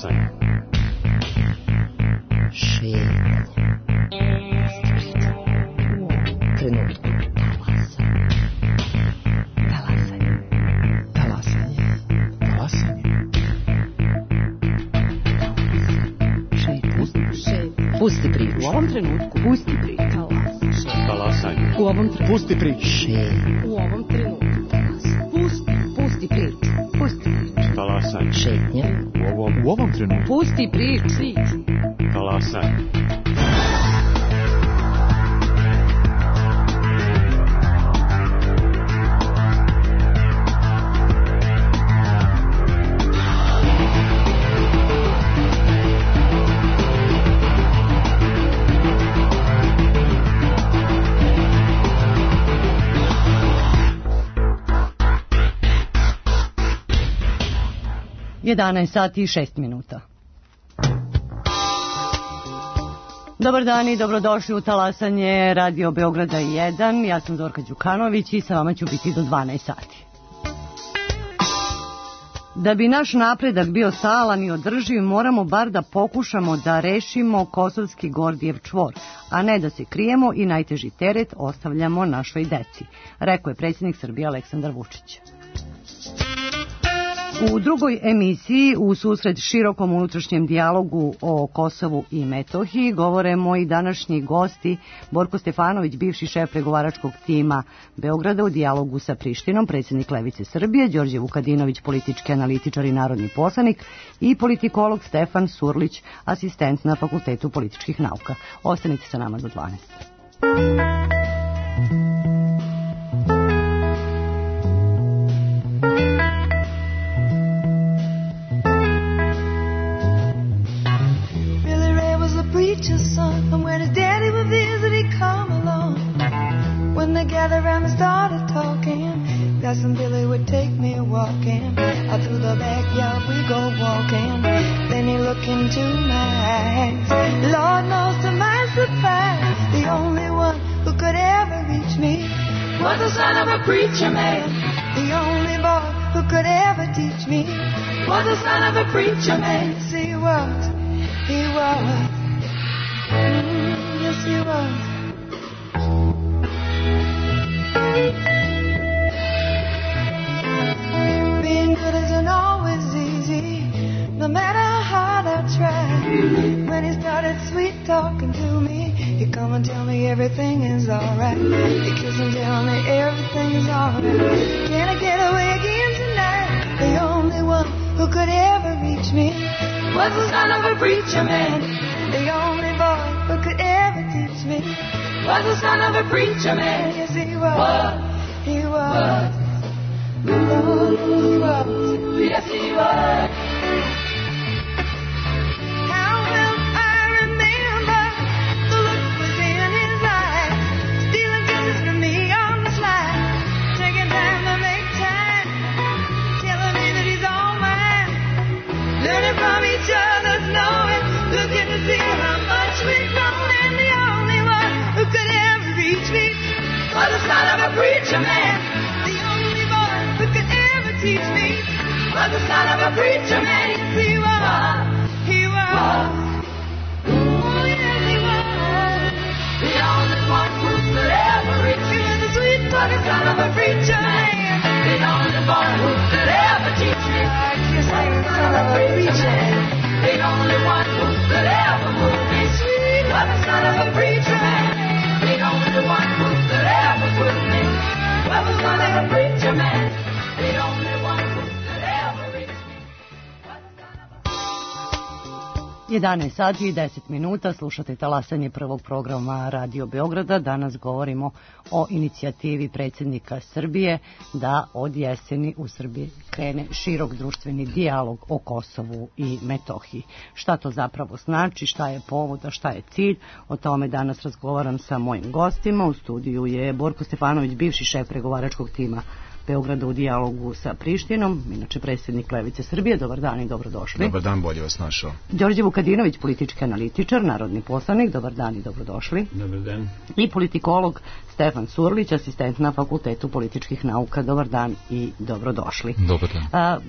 Talasanje. Šetnja. Trenutku. Talasanje. Talasanje. Talasanje. Šetnja. Pusti priču. U ovom trenutku. Pusti priču. Talasanje. U ovom trenutku. Pusti priču. Šetnja. U ovom trenutku. Pusti priču. Pusti priču. Talasanje. Šetnja. U ovom trenutku. Pusti priču. Talasanje. Jedanaest sati i 6 minuta. Dobar dan i dobrodošli u Talasanje Radio Beograda 1. Ja sam Zorka Đukanović i sa vama ću biti do 12 sati. Da bi naš napredak bio stalan i održiv, moramo bar da pokušamo da rešimo kosovski Gordijev čvor, a ne da se krijemo i najteži teret ostavljamo našoj deci, rekao je predsjednik Srbije Aleksandar Vučić. U drugoj emisiji, u susret širokom unutrašnjem dijalogu o Kosovu i Metohiji, govore moji današnji gosti Borko Stefanović, bivši šef pregovaračkog tima Beograda u dijalogu sa Prištinom, predsjednik Levice Srbije, Đorđe Vukadinović, politički analitičar i narodni poslanik, i politikolog Stefan Surlić, asistent na Fakultetu političkih nauka. Ostanite sa nama do 12. Preacher's son, and when his daddy would visit, he'd come along. When they gathered around and started talking, Cousin Billy would take me walking. Out through the backyard we go walking. Then he looked into my eyes. Lord knows to my surprise, the only one who could ever reach me was the son of a preacher man. The only boy who could ever teach me was the son of a preacher man. Yes, he was. He was. Yes, he was. Being good isn't always easy, no matter how hard I try. When he started sweet talking to me, he'd come and tell me everything is alright. He'd kiss and tell me everything is alright. Can I get away again tonight? The only one who could ever reach me was the son of a preacher man. The only boy who could ever teach me was the son of a preacher man. Yes, he was. He was. Oh, he was. Yes, he was. How will I remember the look was in his eyes, stealing kisses from me on the slide, taking time to make time, telling me that he's all mine, learning from each other's knowing, looking to see how much we've grown, and the only one who could ever reach me was the son of a preacher man. The only boy who could ever teach me was the son of a preacher man. Yes, he was. He was. Oh, yes, he was. The only one who could ever reach me was the sweet talking son of a preacher man. The only boy who could ever teach me was the son of a preacher man. The only one who could ever move me sweet was the son of a preacher man. The only one who could ever put me was the son of a preacher man. The only one who could ever reach me was the son of a... 11 sati i 10 minuta, slušate Talasanje prvog programa Radio Beograda. Danas govorimo o inicijativi predsjednika Srbije da od jeseni u Srbiji krene širok društveni dijalog o Kosovu i Metohiji. Šta to zapravo znači, šta je povod, a šta je cilj, o tome danas razgovaram sa mojim gostima. U studiju je Borko Stefanović, bivši šef pregovaračkog tima Beograda u dijalogu sa Prištinom, inače predsjednik Levice Srbije. Dobar dan i dobrodošli. Dobar dan, bolje vas našao. Đorđe Vukadinović, politički analitičar, narodni poslanik. Dobar dan i dobrodošli. Dobar dan. I politikolog Stefan Surlić, asistent na Fakultetu političkih nauka. Dobar dan i dobrodošli. Dobar dan.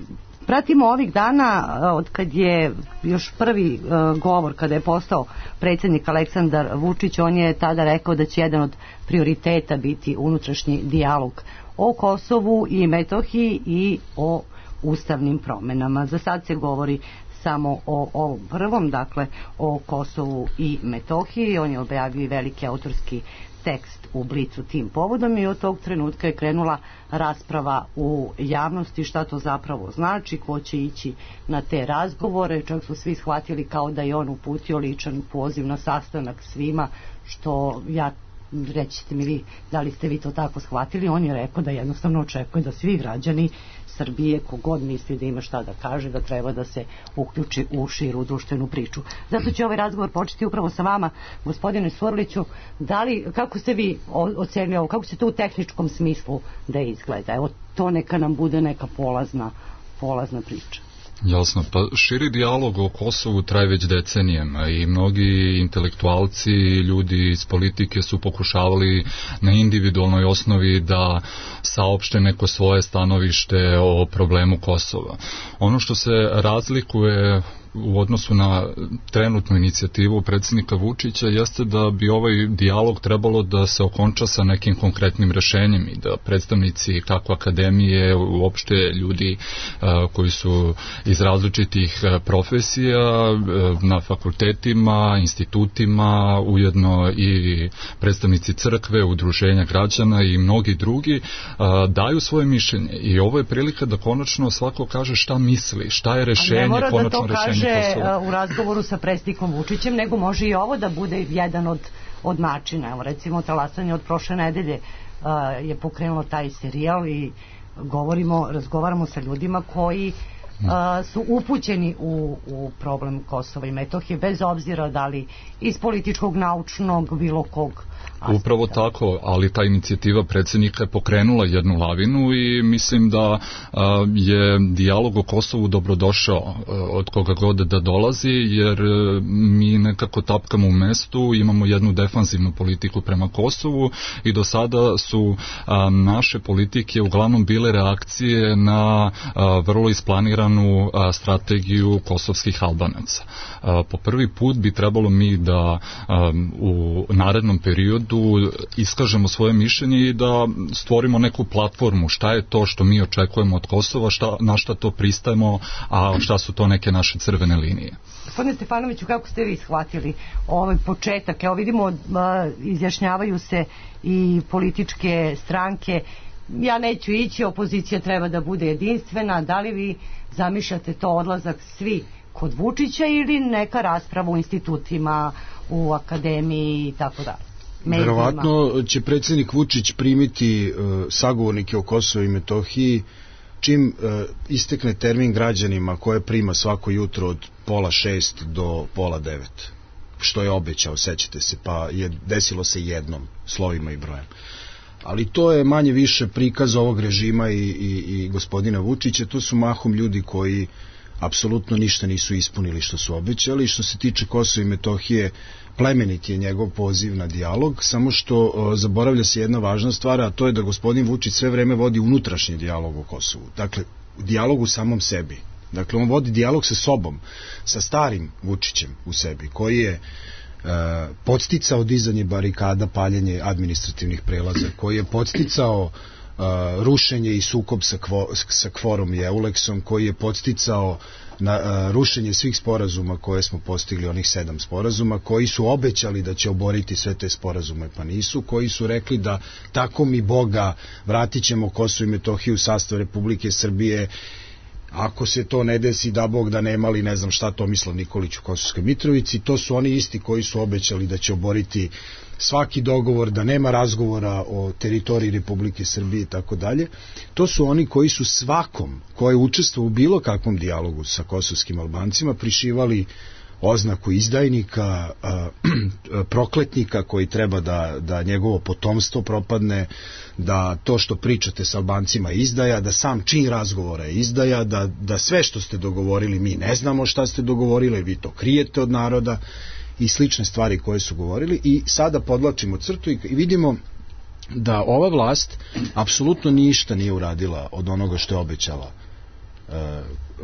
Pratimo ovih dana, od kad je još prvi govor, kada je postao predsjednik Aleksandar Vučić, on je tada rekao da će jedan od prioriteta biti unutrašnji dijalog o Kosovu i Metohiji i o ustavnim promjenama. Za sad se govori samo o ovom prvom, dakle o Kosovu i Metohiji. On je objavio veliki autorski tekst u Blicu tim povodom i od tog trenutka je krenula rasprava u javnosti šta to zapravo znači, ko će ići na te razgovore. Čak su svi shvatili kao da je on uputio ličan poziv na sastanak svima, što rećete mi vi, da li ste vi to tako shvatili? On je rekao da jednostavno očekuje da svi građani Srbije, kogod misli da ima šta da kaže, da treba da se uključi u širu društvenu priču. Zato će ovaj razgovor početi upravo sa vama, gospodine Surliću. Kako ste vi ocenili ovo, kako će to u tehničkom smislu da izgleda? Evo, to neka nam bude neka polazna priča. Jasno, pa širi dijalog o Kosovu traje već decenijama i mnogi intelektualci i ljudi iz politike su pokušavali na individualnoj osnovi da saopšte neko svoje stanovište o problemu Kosova. Ono što se razlikuje u odnosu na trenutnu inicijativu predsjednika Vučića jeste da bi ovaj dijalog trebalo da se okonča sa nekim konkretnim rešenjem i da predstavnici kako akademije, uopšte ljudi koji su iz različitih profesija na fakultetima, institutima, ujedno i predstavnici crkve, udruženja građana i mnogi drugi daju svoje mišljenje i ovo je prilika da konačno svako kaže šta misli, šta je rešenje, konačno rešenje u razgovoru sa predsjednikom Vučićem, nego može i ovo da bude jedan od načina. Evo, recimo, Talasanje od prošle nedelje je pokrenulo taj serijal i razgovaramo sa ljudima koji su upućeni u problem Kosova i Metohije, bez obzira da li iz političkog, naučnog, bilo kog aspekta. Upravo tako, ali ta inicijativa predsjednika je pokrenula jednu lavinu i mislim da je dijalog o Kosovu dobrodošao od koga god da dolazi, jer mi nekako tapkamo u mestu, imamo jednu defanzivnu politiku prema Kosovu i do sada su naše politike uglavnom bile reakcije na vrlo isplaniranu strategiju kosovskih Albanaca. Po prvi put bi trebalo mi da u narednom periodu iskažemo svoje mišljenje i da stvorimo neku platformu šta je to što mi očekujemo od Kosova, na šta to pristajemo, a šta su to neke naše crvene linije. Gospodine Stefanoviću, kako ste vi shvatili ovaj početak? Evo vidimo, izjašnjavaju se i političke stranke. Ja neću ići, opozicija treba da bude jedinstvena. Da li vi zamišljate to odlazak svi kod Vučića ili neka rasprava u institutima, u akademiji i tako dalje? Verovatno će predsjednik Vučić primiti sagovornike o Kosovu i Metohiji čim istekne termin građanima koje prima svako jutro od 5:30 do 8:30, što je obećao, sećate se, pa je desilo se jednom, slovima i brojem. Ali to je manje više prikaz ovog režima i gospodina Vučića. To su mahom ljudi koji apsolutno ništa nisu ispunili što su obećali. Što se tiče Kosova i Metohije, plemenit je njegov poziv na dijalog, samo što zaboravlja se jedna važna stvar, a to je da gospodin Vučić sve vreme vodi unutrašnji dijalog o Kosovu. Dakle, dijalog u samom sebi. Dakle, on vodi dijalog sa sobom, sa starim Vučićem u sebi, koji je podsticao dizanje barikada, paljenje administrativnih prelaza, koji je podsticao rušenje i sukob sa Kvorom i Euleksom, koji je podsticao na rušenje svih sporazuma koje smo postigli, onih 7 sporazuma, koji su obećali da će oboriti sve te sporazume, pa nisu, koji su rekli da tako mi Boga vratit ćemo Kosovo i Metohiju u sastav Republike Srbije, ako se to ne desi, da Bog da nema li ne znam šta Tomislav Nikolić u Kosovskoj Mitrovici. To su oni isti koji su obećali da će oboriti svaki dogovor, da nema razgovora o teritoriji Republike Srbije i tako dalje. To su oni koji su svakom koji je učestvovao u bilo kakvom dijalogu sa kosovskim Albancima prišivali oznaku izdajnika, prokletnika koji treba da njegovo potomstvo propadne, da to što pričate s Albancima je izdaja, da sam čin razgovora je izdaja, da sve što ste dogovorili mi ne znamo šta ste dogovorili, vi to krijete od naroda i slične stvari koje su govorili. I sada podvlačimo crtu i vidimo da ova vlast apsolutno ništa nije uradila od onoga što je obećala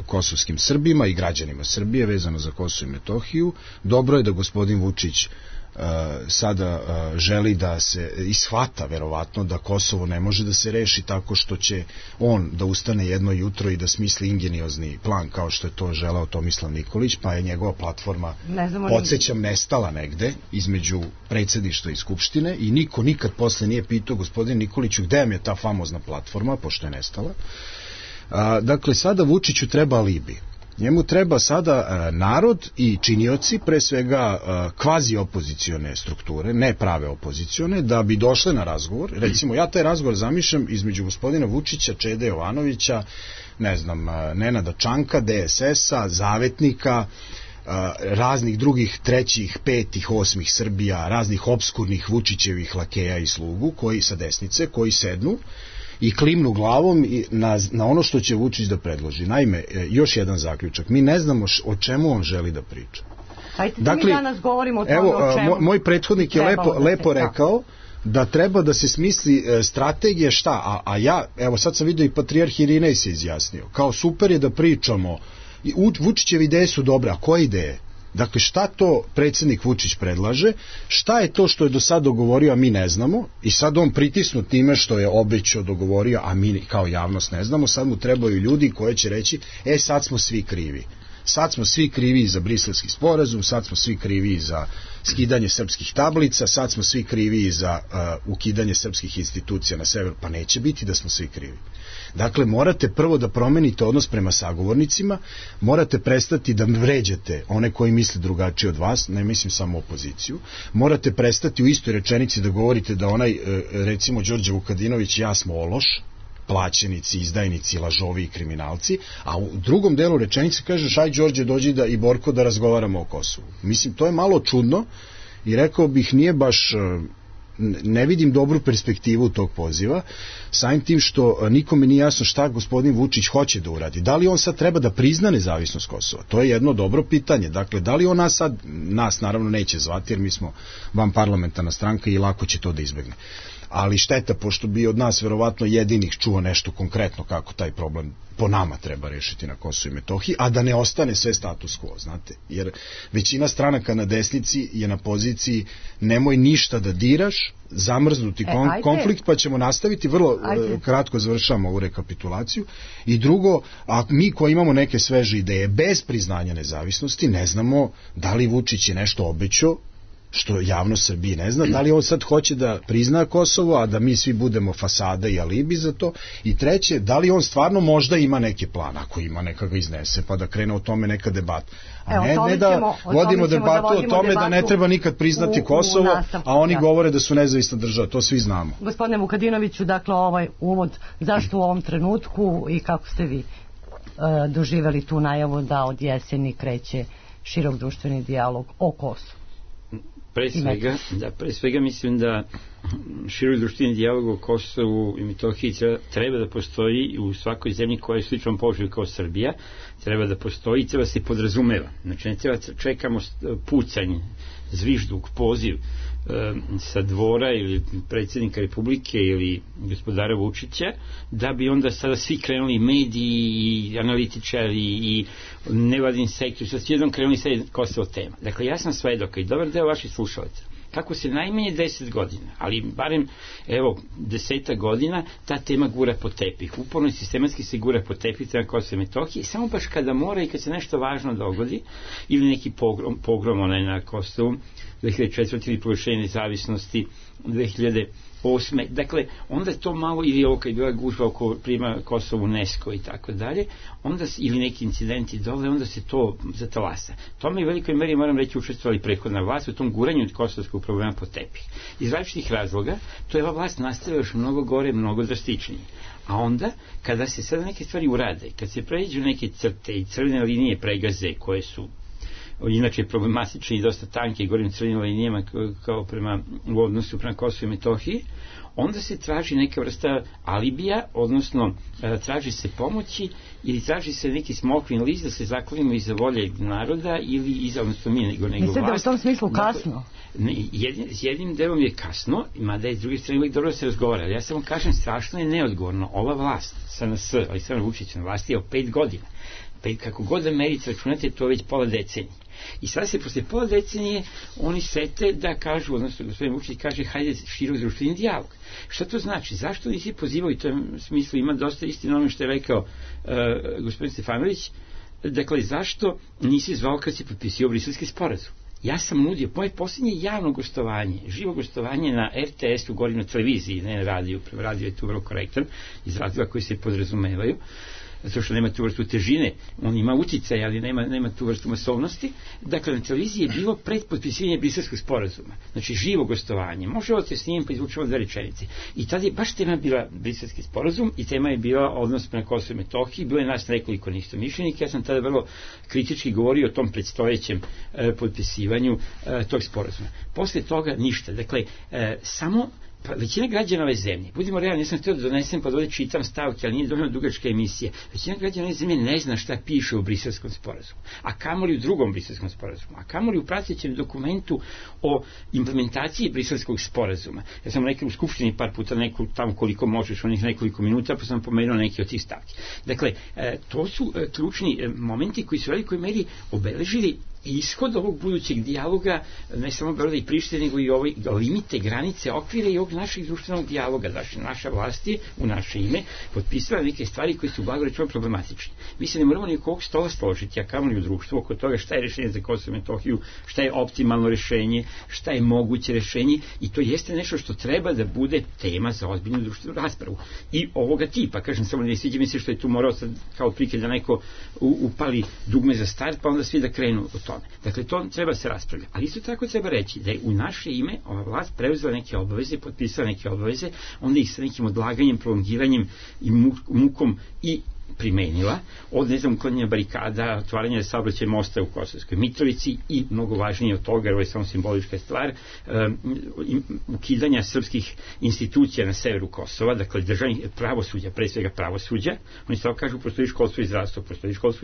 kosovskim Srbima i građanima Srbije vezano za Kosovo i Metohiju. Dobro je da gospodin Vučić sada želi da se ishvata verovatno da Kosovo ne može da se reši tako što će on da ustane jedno jutro i da smisli ingeniozni plan kao što je to želeo Tomislav Nikolić, pa je njegova platforma, podsjećam, nestala negde između predsjedništva i skupštine i niko nikad posle nije pitao gospodin Nikoliću gde vam je ta famozna platforma, pošto je nestala. Dakle, sada Vučiću treba alibi. Njemu treba sada narod i činioci, pre svega kvazi opozicione strukture, ne prave opozicione, da bi došle na razgovor. Recimo, ja taj razgovor zamišljam između gospodina Vučića, Čede Jovanovića, ne znam, Nenada Čanka, DSS-a, Zavetnika, raznih drugih trećih, petih, osmih Srbija, raznih obskurnih Vučićevih lakeja i slugu koji sa desnice, koji sednu i klimnu glavom na ono što će Vučić da predloži. Naime, još jedan zaključak. Mi ne znamo o čemu on želi da priča. Dakle, mi danas govorimo o tome o čemu. Moj prethodnik je lepo rekao da treba da se smisli strategija šta, a ja, evo sad sam vidio i patrijarh Irinej se izjasnio. Kao super je da pričamo, Vučićeve ideje su dobre, a koje ideje? Dakle, šta to predsjednik Vučić predlaže, šta je to što je do sad dogovorio, a mi ne znamo, i sad on pritisnut time što je obećao, dogovorio, a mi kao javnost ne znamo, sad mu trebaju ljudi koji će reći, sad smo svi krivi. Sad smo svi krivi za Briselski sporazum, sad smo svi krivi za skidanje srpskih tablica, sad smo svi krivi za ukidanje srpskih institucija na severu, pa neće biti da smo svi krivi. Dakle, morate prvo da promenite odnos prema sagovornicima, morate prestati da vređate one koji misle drugačije od vas, ne mislim samo opoziciju, morate prestati u istoj rečenici da govorite da onaj, recimo, Đorđe Vukadinović, ja smo ološ, plaćenici, izdajnici, lažovi i kriminalci, a u drugom delu rečenice kažeš, aj Đorđe, dođi i Borko da razgovaramo o Kosovu. Mislim, to je malo čudno i rekao bih nije baš, ne vidim dobru perspektivu tog poziva, samim tim što nikome nije jasno šta gospodin Vučić hoće da uradi. Da li on sad treba da prizna nezavisnost Kosova? To je jedno dobro pitanje. Dakle, da li on nas naravno neće zvati jer mi smo vanparlamentarna stranka i lako će to da izbegne. Ali šteta, pošto bi od nas verovatno jedinih čuo nešto konkretno kako taj problem po nama treba rešiti na Kosovu i Metohiji, a da ne ostane sve status quo, znate. Jer većina stranaka na desnici je na poziciji nemoj ništa da diraš, zamrznuti konflikt, pa ćemo nastaviti, vrlo kratko završamo ovu rekapitulaciju. I drugo, a mi koji imamo neke sveže ideje bez priznanja nezavisnosti, ne znamo da li Vučić je nešto obećao, što javnost Srbije ne zna, da li on sad hoće da prizna Kosovo, a da mi svi budemo fasada i alibi za to, i treće, da li on stvarno možda ima neki plan, ako ima neka ga iznese, pa da krene o tome neka debata. A ne da vodimo debatu o tome da ne treba nikad priznati Kosovo, a oni govore da su nezavisna država, to svi znamo. Gospodine Vukadinoviću, dakle ovaj uvod, zašto u ovom trenutku i kako ste vi doživjeli tu najavu da od jeseni kreće širok društveni dijalog o Kosovu? Pre svega mislim da širok društveni dijalog o Kosovu i Metohiji treba da postoji u svakoj zemlji koja je sličnom položaju kao Srbija, treba da postoji i treba se podrazumeva. Znači ne treba čekamo pucanj, zvižduk, poziv sa dvora ili predsjednika Republike ili gospodara Vučića, da bi onda sada svi krenuli mediji i analitičari i nevladin sektor, sad svi jednom krenuli sad Kosovo tema. Dakle, ja sam svedok i dobar deo vaših slušalaca, kako se najmanje 10 godina, ali barem, evo, 10 godina, ta tema gura po tepih. Uporno i sistematski se gura po tepih na Kosovo i Metohiji, samo baš kada mora i kad se nešto važno dogodi, ili neki pogrom onaj na Kosovu, 2004. ili proglašenje nezavisnosti 2008. Dakle, onda to malo, ili ovo kad je bila gužba oko prijema Kosovo UNESCO i tako dalje, onda, ili neki incidenti dole, onda se to zatalasa. Tome i u velikoj meri, moram reći, učestvovali prethodna vlast u tom guranju od kosovskog problema po tepih. Iz različitih razloga, to je ova vlast nastavila još mnogo gore, mnogo drastičnije. A onda, kada se sada neke stvari urade, kad se pređu neke crte i crvene linije pregaze koje su inače problematični i dosta tanki, govorim crvenim linijama kao u odnosu prema Kosovu i Metohiji, onda se traži neka vrsta alibija, odnosno traži se pomoći ili traži se neki smokvin list da se zaklonimo iza volje naroda ili iza, odnosno mi nego vlast. Mislite da u tom smislu kasno? S jednim delom je kasno, mada je s druge strane uvijek dobro da se razgovara. Ja samo kažem, strašno je neodgovorno. Ova vlast, SNS, Aleksandar Vučić na vlasti je 5 godina. Kako god da merite, računate, to je već pola decenije. I sada se posle pola decenije oni sete da kažu, odnosno gospodin Vučić kaže, hajde širok društveni dijalog. Šta to znači? Zašto nisi pozivao, i to je u smislu ima dosta istina ono što je rekao gospodin Stefanović, dakle, zašto nisi zvao kad si potpisio Briselski sporazum? Ja sam nudio, moje posljednje javno gostovanje, živo gostovanje na RTS-u, govorim na televiziji, ne na radiju, radio je tu vrlo korektan, iz razloga koji se podrazumevaju, zato što nema tu vrstu težine, on ima uticaj, ali nema tu vrstu masovnosti. Dakle, na televiziji je bilo pred potpisivanje Briselskog sporazuma. Znači, živo gostovanje. Može ovo te snimim pa izvučemo 2 rečenice. I tada je baš tema bila Briselski sporazum i tema je bila odnos prema Kosovu i Metohiji. Bilo je nas nekoliko neistomišljenika. Ja sam tada vrlo kritički govorio o tom predstojećem potpisivanju tog sporazuma. Posle toga ništa. Dakle, samo većina građana ove zemlje, budimo realni, ja sam htio da donesem pa da ovdje čitam stavke, ali nije dovoljno dugačka emisija, većina građana ove zemlje ne zna šta piše u Briselskom sporazumu, a kamoli u drugom Briselskom sporazumu, a kamoli u pratećem dokumentu o implementaciji Briselskog sporazuma. Ja sam rekao u Skupštini par puta neku tamo koliko možeš, onih nekoliko minuta, pa sam pomenuo neki od tih stavki. Dakle, to su ključni momenti koji su u velikoj meri obeležili ishod ovog budućeg dijaloga, ne samo Beograda i Prištine, nego i ove limite, granice, okvire i ovog našeg društvenog dijaloga. Znači, naša vlast je u naše ime potpisala neke stvari koje su blago rečeno problematične. Mi se ne moramo nikog stola složiti, a kamoli u društvu oko toga šta je rešenje za Kosovo i Metohiju, šta je optimalno rešenje, šta je moguće rešenje, i to jeste nešto što treba da bude tema za ozbiljnu društvenu raspravu. I ovoga tipa, kažem, samo ne sviđa mi se što je tu morao sad kao prikaz da neko upali dugme za start, pa onda svi da krenu od tome. Dakle, to treba se raspravljati. Ali isto tako treba reći da je u naše ime ova vlast preuzela neke obaveze, potpisala neke obaveze, onda ih sa nekim odlaganjem, prolongiranjem i mukom i primenila, od, ne znam, uklanjanja barikada, otvaranja saobraćaja mosta u Kosovskoj Mitrovici i, mnogo važnije od toga, jer ovo je samo simbolička stvar, ukidanja srpskih institucija na severu Kosova, dakle državnih pravosuđa, pre svega pravosuđa. Oni stavo kažu, postoji školstvo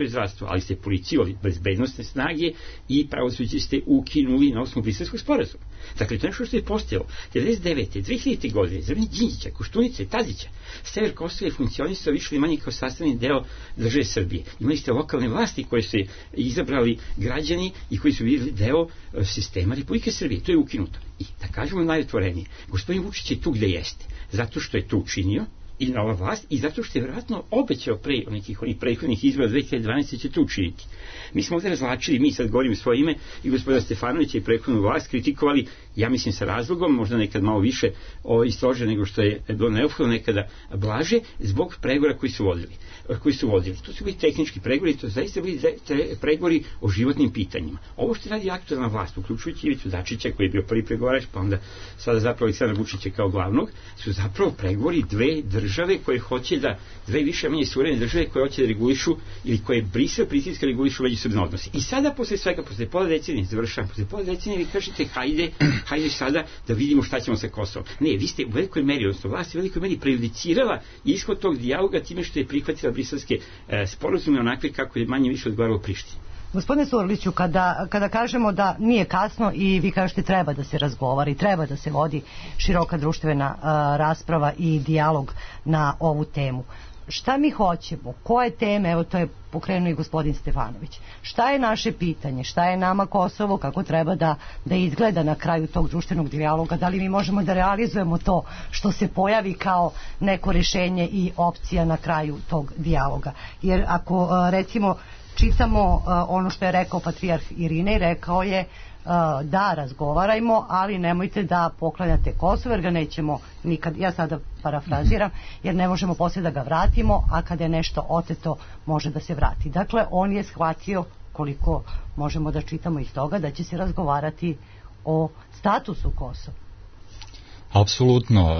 i zdravstvo, ali ste policiju, bezbednostne snage i pravosuđe ste ukinuli na osnovu Briselskog sporazuma. Dakle, to je nešto što je postojalo. 1999. 2000. godine, za vreme Đinđića, Koštunice, Tadića, sever Kosova je funkcionisao više ili manje kao sastavni deo države Srbije. Imali ste lokalne vlasti koje su izabrali građani i koji su bili deo sistema Republike Srbije. To je ukinuto. I da kažemo najotvorenije, gospodin Vučić je tu gde jeste, zato što je to učinio i nova vlast, i zato što je vjerojatno obećao pre nekih onih prethodnih izbora 2012. će to učiniti. Mi smo ovdje razlačili, mi sad govorimo svoje ime, i gospodina Stefanovića i prethodnu vlast kritikovali, ja mislim sa razlogom, možda nekad malo više i strože nego što je bilo neophodno, nekada blaže, zbog pregovora koji su vodili. To su bili tehnički pregovori, to zaista bili pregovori o životnim pitanjima. Ovo što radi aktualna vlast, uključujući Ivicu Dačića koji je bio prvi pregovarač, pa onda sada zapravo Aleksandra Vučića kao glavnog, su zapravo pregovori dve države koje hoće da, dve više manje suverene države koje hoće da regulišu ili koje Brisel pritiska regulišu međusobne odnose. I sada posle svega, posle pola decenije, završavam, posle pola decenije vi kažete hajde sada da vidimo šta ćemo sa Kosovom. Ne, vi ste u velikoj meri, odnosno vlast je u velikoj meri prejudicirala ishod tog dijaloga time što je prihvatila briselske sporazume onakve kako je manje više odgovaralo Prištini. Gospodine Surliću, kada kažemo da nije kasno i vi kažete treba da se razgovara i treba da se vodi široka društvena rasprava i dijalog na ovu temu, šta mi hoćemo, koje teme, evo to je pokrenuo i gospodin Stefanović, šta je naše pitanje, šta je nama Kosovo, kako treba da izgleda na kraju tog društvenog dijaloga, da li mi možemo da realizujemo to što se pojavi kao neko rešenje i opcija na kraju tog dijaloga. Jer ako recimo čitamo ono što je rekao patrijarh Irinej, rekao je da razgovarajmo, ali nemojte da poklanjate Kosovo jer ga nećemo nikad, ja sada parafraziram, jer ne možemo poslije da ga vratimo, a kada je nešto oteto može da se vrati. Dakle, on je shvatio, koliko možemo da čitamo iz toga, da će se razgovarati o statusu Kosova. Apsolutno.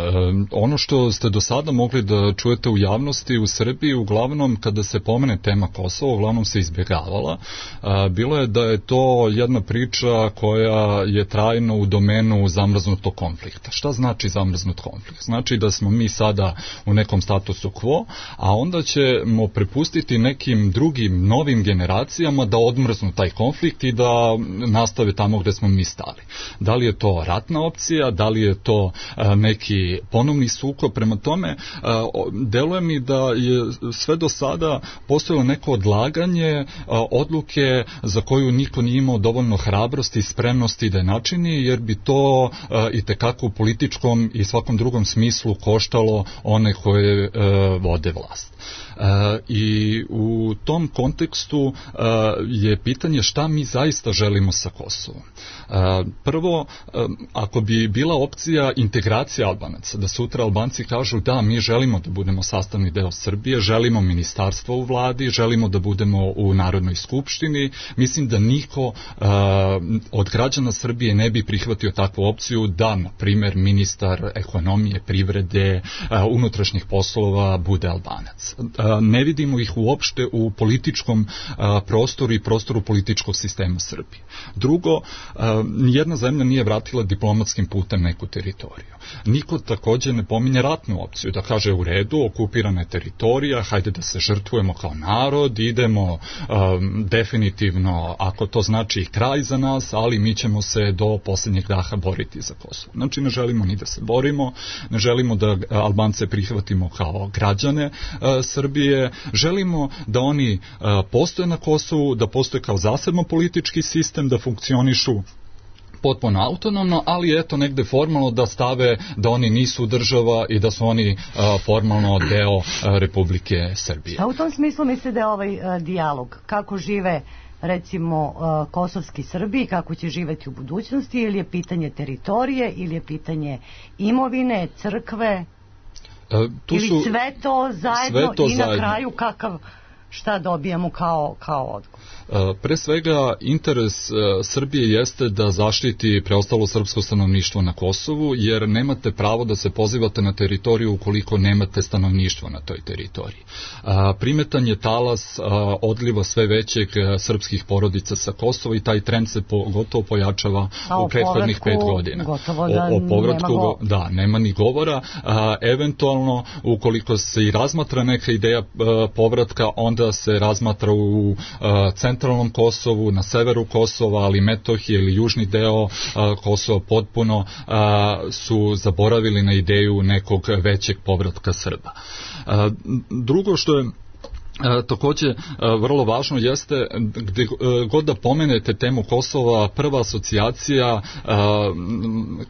Ono što ste do sada mogli da čujete u javnosti u Srbiji, uglavnom kada se pomene tema Kosova, uglavnom se izbjegavala. Bilo je da je to jedna priča koja je trajno u domenu zamrznutog konflikta. Šta znači zamrznut konflikt? Znači da smo mi sada u nekom statusu quo, a onda ćemo prepustiti nekim drugim novim generacijama da odmrznu taj konflikt i da nastave tamo gde smo mi stali. Da li je to ratna opcija, da li je to neki ponovni sukob? Prema tome, deluje mi da je sve do sada postojalo neko odlaganje odluke za koju niko nije imao dovoljno hrabrosti i spremnosti da je načini, jer bi to itekako u političkom i svakom drugom smislu koštalo one koje vode vlast. I u tom kontekstu je pitanje šta mi zaista želimo sa Kosovom. Prvo, ako bi bila opcija integracija Albanaca, da sutra Albanci kažu da mi želimo da budemo sastavni deo Srbije, želimo ministarstvo u vladi, želimo da budemo u Narodnoj skupštini, mislim da niko od građana Srbije ne bi prihvatio takvu opciju da, na primer, ministar ekonomije, privrede, unutrašnjih poslova bude Albanac. Ne vidimo ih uopšte u političkom prostoru i prostoru političkog sistema Srbije. Drugo, nijedna zemlja nije vratila diplomatskim putem neku teritoriju. Niko takođe ne pominje ratnu opciju, da kaže u redu, okupirana je teritorija, hajde da se žrtvujemo kao narod, idemo definitivno, ako to znači kraj za nas, ali mi ćemo se do posljednjeg daha boriti za Kosovo. Znači ne želimo ni da se borimo, ne želimo da Albance prihvatimo kao građane Srbije, želimo da oni postoje na Kosovu, da postoje kao zasebno politički sistem, da funkcionišu potpuno autonomno, ali eto negde formalno da stave da oni nisu država i da su oni formalno deo Republike Srbije. A u tom smislu misli da je ovaj dijalog, kako žive recimo kosovski Srbi, kako će živeti u budućnosti, ili je pitanje teritorije, ili je pitanje imovine, crkve, ili sve to zajedno i na kraju šta dobijamo kao odgovor? Pre svega, interes Srbije jeste da zaštiti preostalo srpsko stanovništvo na Kosovu, jer nemate pravo da se pozivate na teritoriju ukoliko nemate stanovništvo na toj teritoriji. Primetan je talas odliva sve većeg srpskih porodica sa Kosova i taj trend se gotovo pojačava u prethodnih 5 godina. O povratku nema ni govora. Eventualno, ukoliko se i razmatra neka ideja povratka, onda se razmatra u centralnom Kosovu, na severu Kosova, ali Metohije ili južni deo Kosova potpuno su zaboravili na ideju nekog većeg povratka Srba. Drugo što je takođe vrlo važno jeste gde god da pomenete temu Kosova, prva asocijacija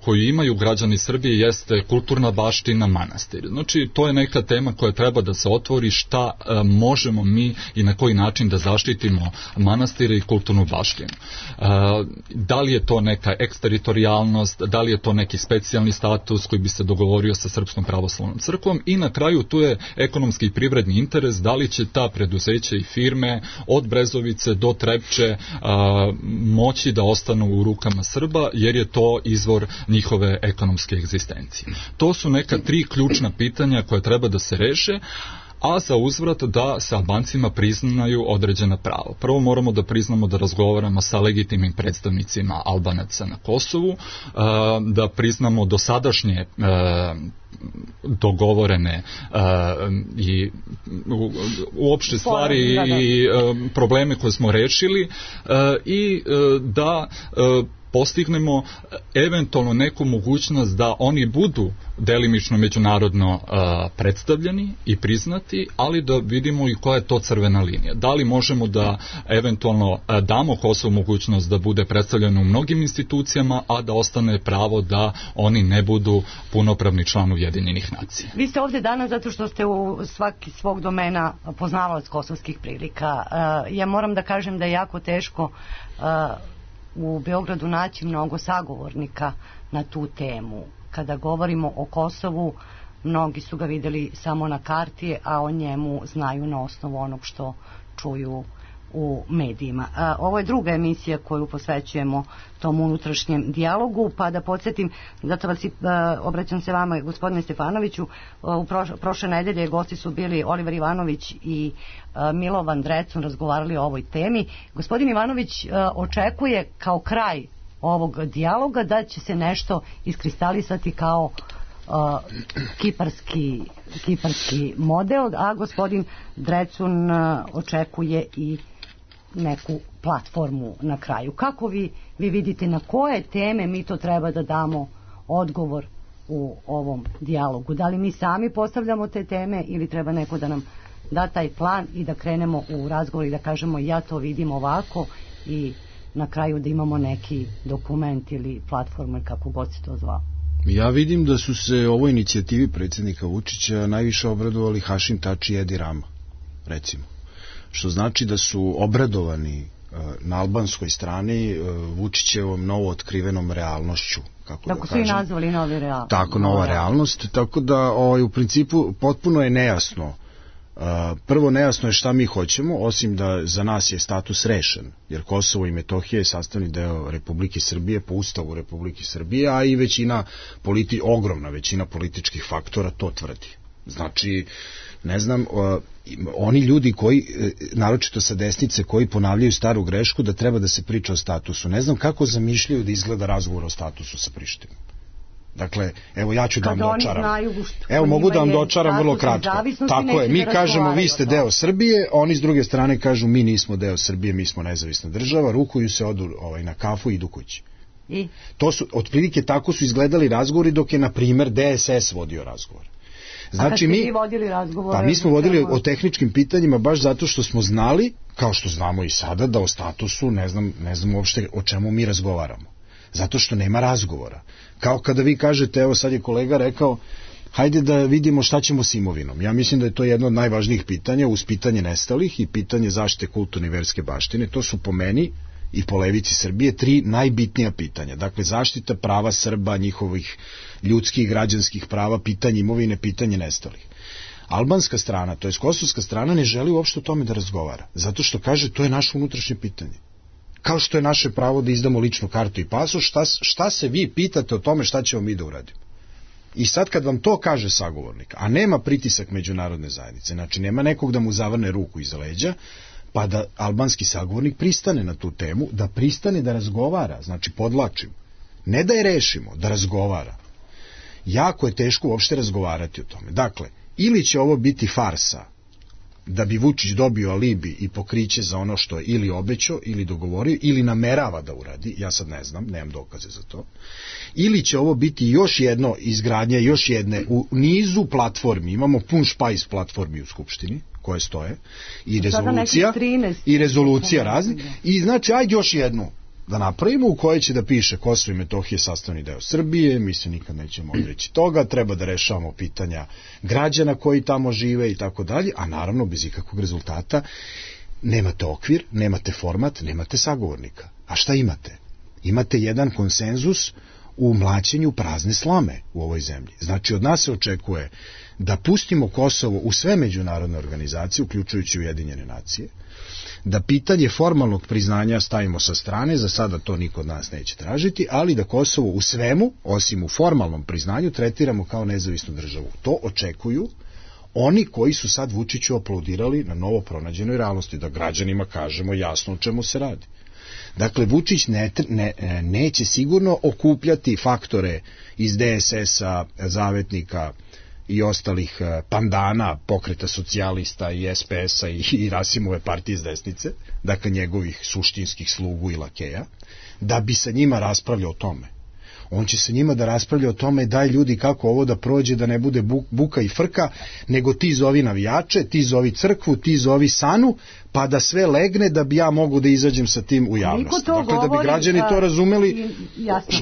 koju imaju građani Srbije jeste kulturna baština, manastir. Znači to je neka tema koja treba da se otvori, šta možemo mi i na koji način da zaštitimo manastire i kulturnu baštinu. Da li je to neka eksteritorijalnost, da li je to neki specijalni status koji bi se dogovorio sa Srpskom pravoslavnom crkvom i na kraju tu je ekonomski i privredni interes, da li će ta preduzeća i firme od Brezovice do Trepče moći da ostanu u rukama Srba, jer je to izvor njihove ekonomske egzistencije. To su neka 3 ključna pitanja koje treba da se reše, a za uzvrat da se Albancima priznaju određena prava. Prvo moramo da priznamo da razgovaramo sa legitimnim predstavnicima Albanaca na Kosovu, da priznamo dosadašnje dogovorene i uopšte stvari i probleme koje smo rešili i da postignemo eventualno neku mogućnost da oni budu delimično međunarodno predstavljeni i priznati, ali da vidimo i koja je to crvena linija. Da li možemo da eventualno damo Kosovu mogućnost da bude predstavljeno u mnogim institucijama, a da ostane pravo da oni ne budu punopravni član Ujedinjenih nacija. Vi ste ovde danas zato što ste u svaki svog domena poznavalac kosovskih prilika. Ja moram da kažem da je jako teško u Beogradu naći mnogo sagovornika na tu temu. Kada govorimo o Kosovu, mnogi su ga videli samo na karti, a o njemu znaju na osnovu onog što čuju u medijima. Ovo je druga emisija koju posvećujemo tom unutrašnjem dijalogu, pa da podsjetim, zato vas obraćam se vama, gospodine Stefanoviću, u prošle nedelje gosti su bili Oliver Ivanović i Milovan Drecun, razgovarali o ovoj temi. Gospodin Ivanović očekuje kao kraj ovog dijaloga da će se nešto iskristalisati kao kiparski model, a gospodin Drecun očekuje i neku platformu na kraju. Kako vi vidite na koje teme mi to treba da damo odgovor u ovom dijalogu? Da li mi sami postavljamo te teme ili treba neko da nam da taj plan i da krenemo u razgovor i da kažemo ja to vidim ovako i na kraju da imamo neki dokument ili platformu, kako god se to zvao? Ja vidim da su se ovoj inicijativi predsjednika Vučića najviše obradovali Hašim Tači i Edi Rama, recimo. Što znači da su obradovani na albanskoj strani Vučićevom novo otkrivenom realnošću, kako da kažem. Su i nazvali novi realnost. Tako, nova realnost, tako da u principu potpuno je nejasno. Prvo, nejasno je šta mi hoćemo, osim da za nas je status rešen, jer Kosovo i Metohija je sastavni deo Republike Srbije po Ustavu Republike Srbije, a i ogromna većina političkih faktora to tvrdi. Znači, ne znam, oni ljudi koji, naročito sa desnice, koji ponavljaju staru grešku da treba da se priča o statusu, ne znam kako zamišljaju da izgleda razgovor o statusu sa Prištinom. Dakle, evo ja ću da vam dočaram. Evo mogu da vam dočaram vrlo kratko. Tako je, mi kažemo vi ste deo Srbije, oni s druge strane kažu mi nismo deo Srbije, mi smo nezavisna država, rukuju se, odu na kafu i idu kući. To su, otprilike tako su izgledali razgovori dok je, na primer, DSS vodio razgovor. Znači, mi smo vodili o tehničkim pitanjima baš zato što smo znali, kao što znamo i sada, da o statusu ne znam uopšte o čemu mi razgovaramo. Zato što nema razgovora. Kao kada vi kažete, evo sad je kolega rekao, hajde da vidimo šta ćemo s imovinom. Ja mislim da je to jedno od najvažnijih pitanja, uz pitanje nestalih i pitanje zaštite kulturne i verske baštine. To su po meni i po levici Srbije 3 najbitnija pitanja. Dakle, zaštita prava Srba, njihovih ljudskih i građanskih prava, pitanje imovine, pitanje nestalih. Albanska strana, to je kosovska strana, ne želi uopšte o tome da razgovara. Zato što kaže, to je naše unutrašnje pitanje. Kao što je naše pravo da izdamo ličnu kartu i pasoš, šta se vi pitate o tome šta ćemo mi da uradimo? I sad kad vam to kaže sagovornik, a nema pritisak međunarodne zajednice, znači nema nekog da mu zavrne ruku iza leđa, pa da albanski sagovornik pristane na tu temu, da pristane da razgovara, znači podlačim, ne da je rešimo, da razgovara. Jako je teško uopšte razgovarati o tome. Dakle, ili će ovo biti farsa, da bi Vučić dobio alibi i pokriće za ono što je ili obećao, ili dogovorio, ili namerava da uradi, ja sad ne znam, nemam dokaze za to, ili će ovo biti još jedno izgradnja, još jedne, u nizu platformi, imamo pun špajs platformi u Skupštini, koje stoje, i rezolucija razni, i znači, ajde još jednu da napravimo u kojoj će da piše Kosovo i Metohija sastavni deo Srbije, mi se nikad nećemo odreći toga, treba da rešavamo pitanja građana koji tamo žive i tako dalje, a naravno bez ikakvog rezultata. Nemate okvir, nemate format, nemate sagovornika. A šta imate? Imate jedan konsenzus u mlaćenju prazne slame u ovoj zemlji. Znači, od nas se očekuje da pustimo Kosovo u sve međunarodne organizacije, uključujući Ujedinjene nacije, da pitanje formalnog priznanja stavimo sa strane, za sada to niko od nas neće tražiti, ali da Kosovo u svemu, osim u formalnom priznanju, tretiramo kao nezavisnu državu. To očekuju oni koji su sad Vučiću aplaudirali na novo pronađenoj realnosti, da građanima kažemo jasno o čemu se radi. Dakle, Vučić neće sigurno okupljati faktore iz DSS-a, Zavetnika i ostalih pandana, Pokreta socijalista i SPS-a i Rasimove partije iz desnice, dakle njegovih suštinskih slugu i lakeja, da bi sa njima raspravljao o tome. On će sa njima da raspravlja o tome, daj ljudi kako ovo da prođe, da ne bude buka i frka, nego ti zovi navijače, ti zovi crkvu, ti zovi Sanu, pa da sve legne da bi ja mogu da izađem sa tim u javnost. Dakle, da bi građani to razumeli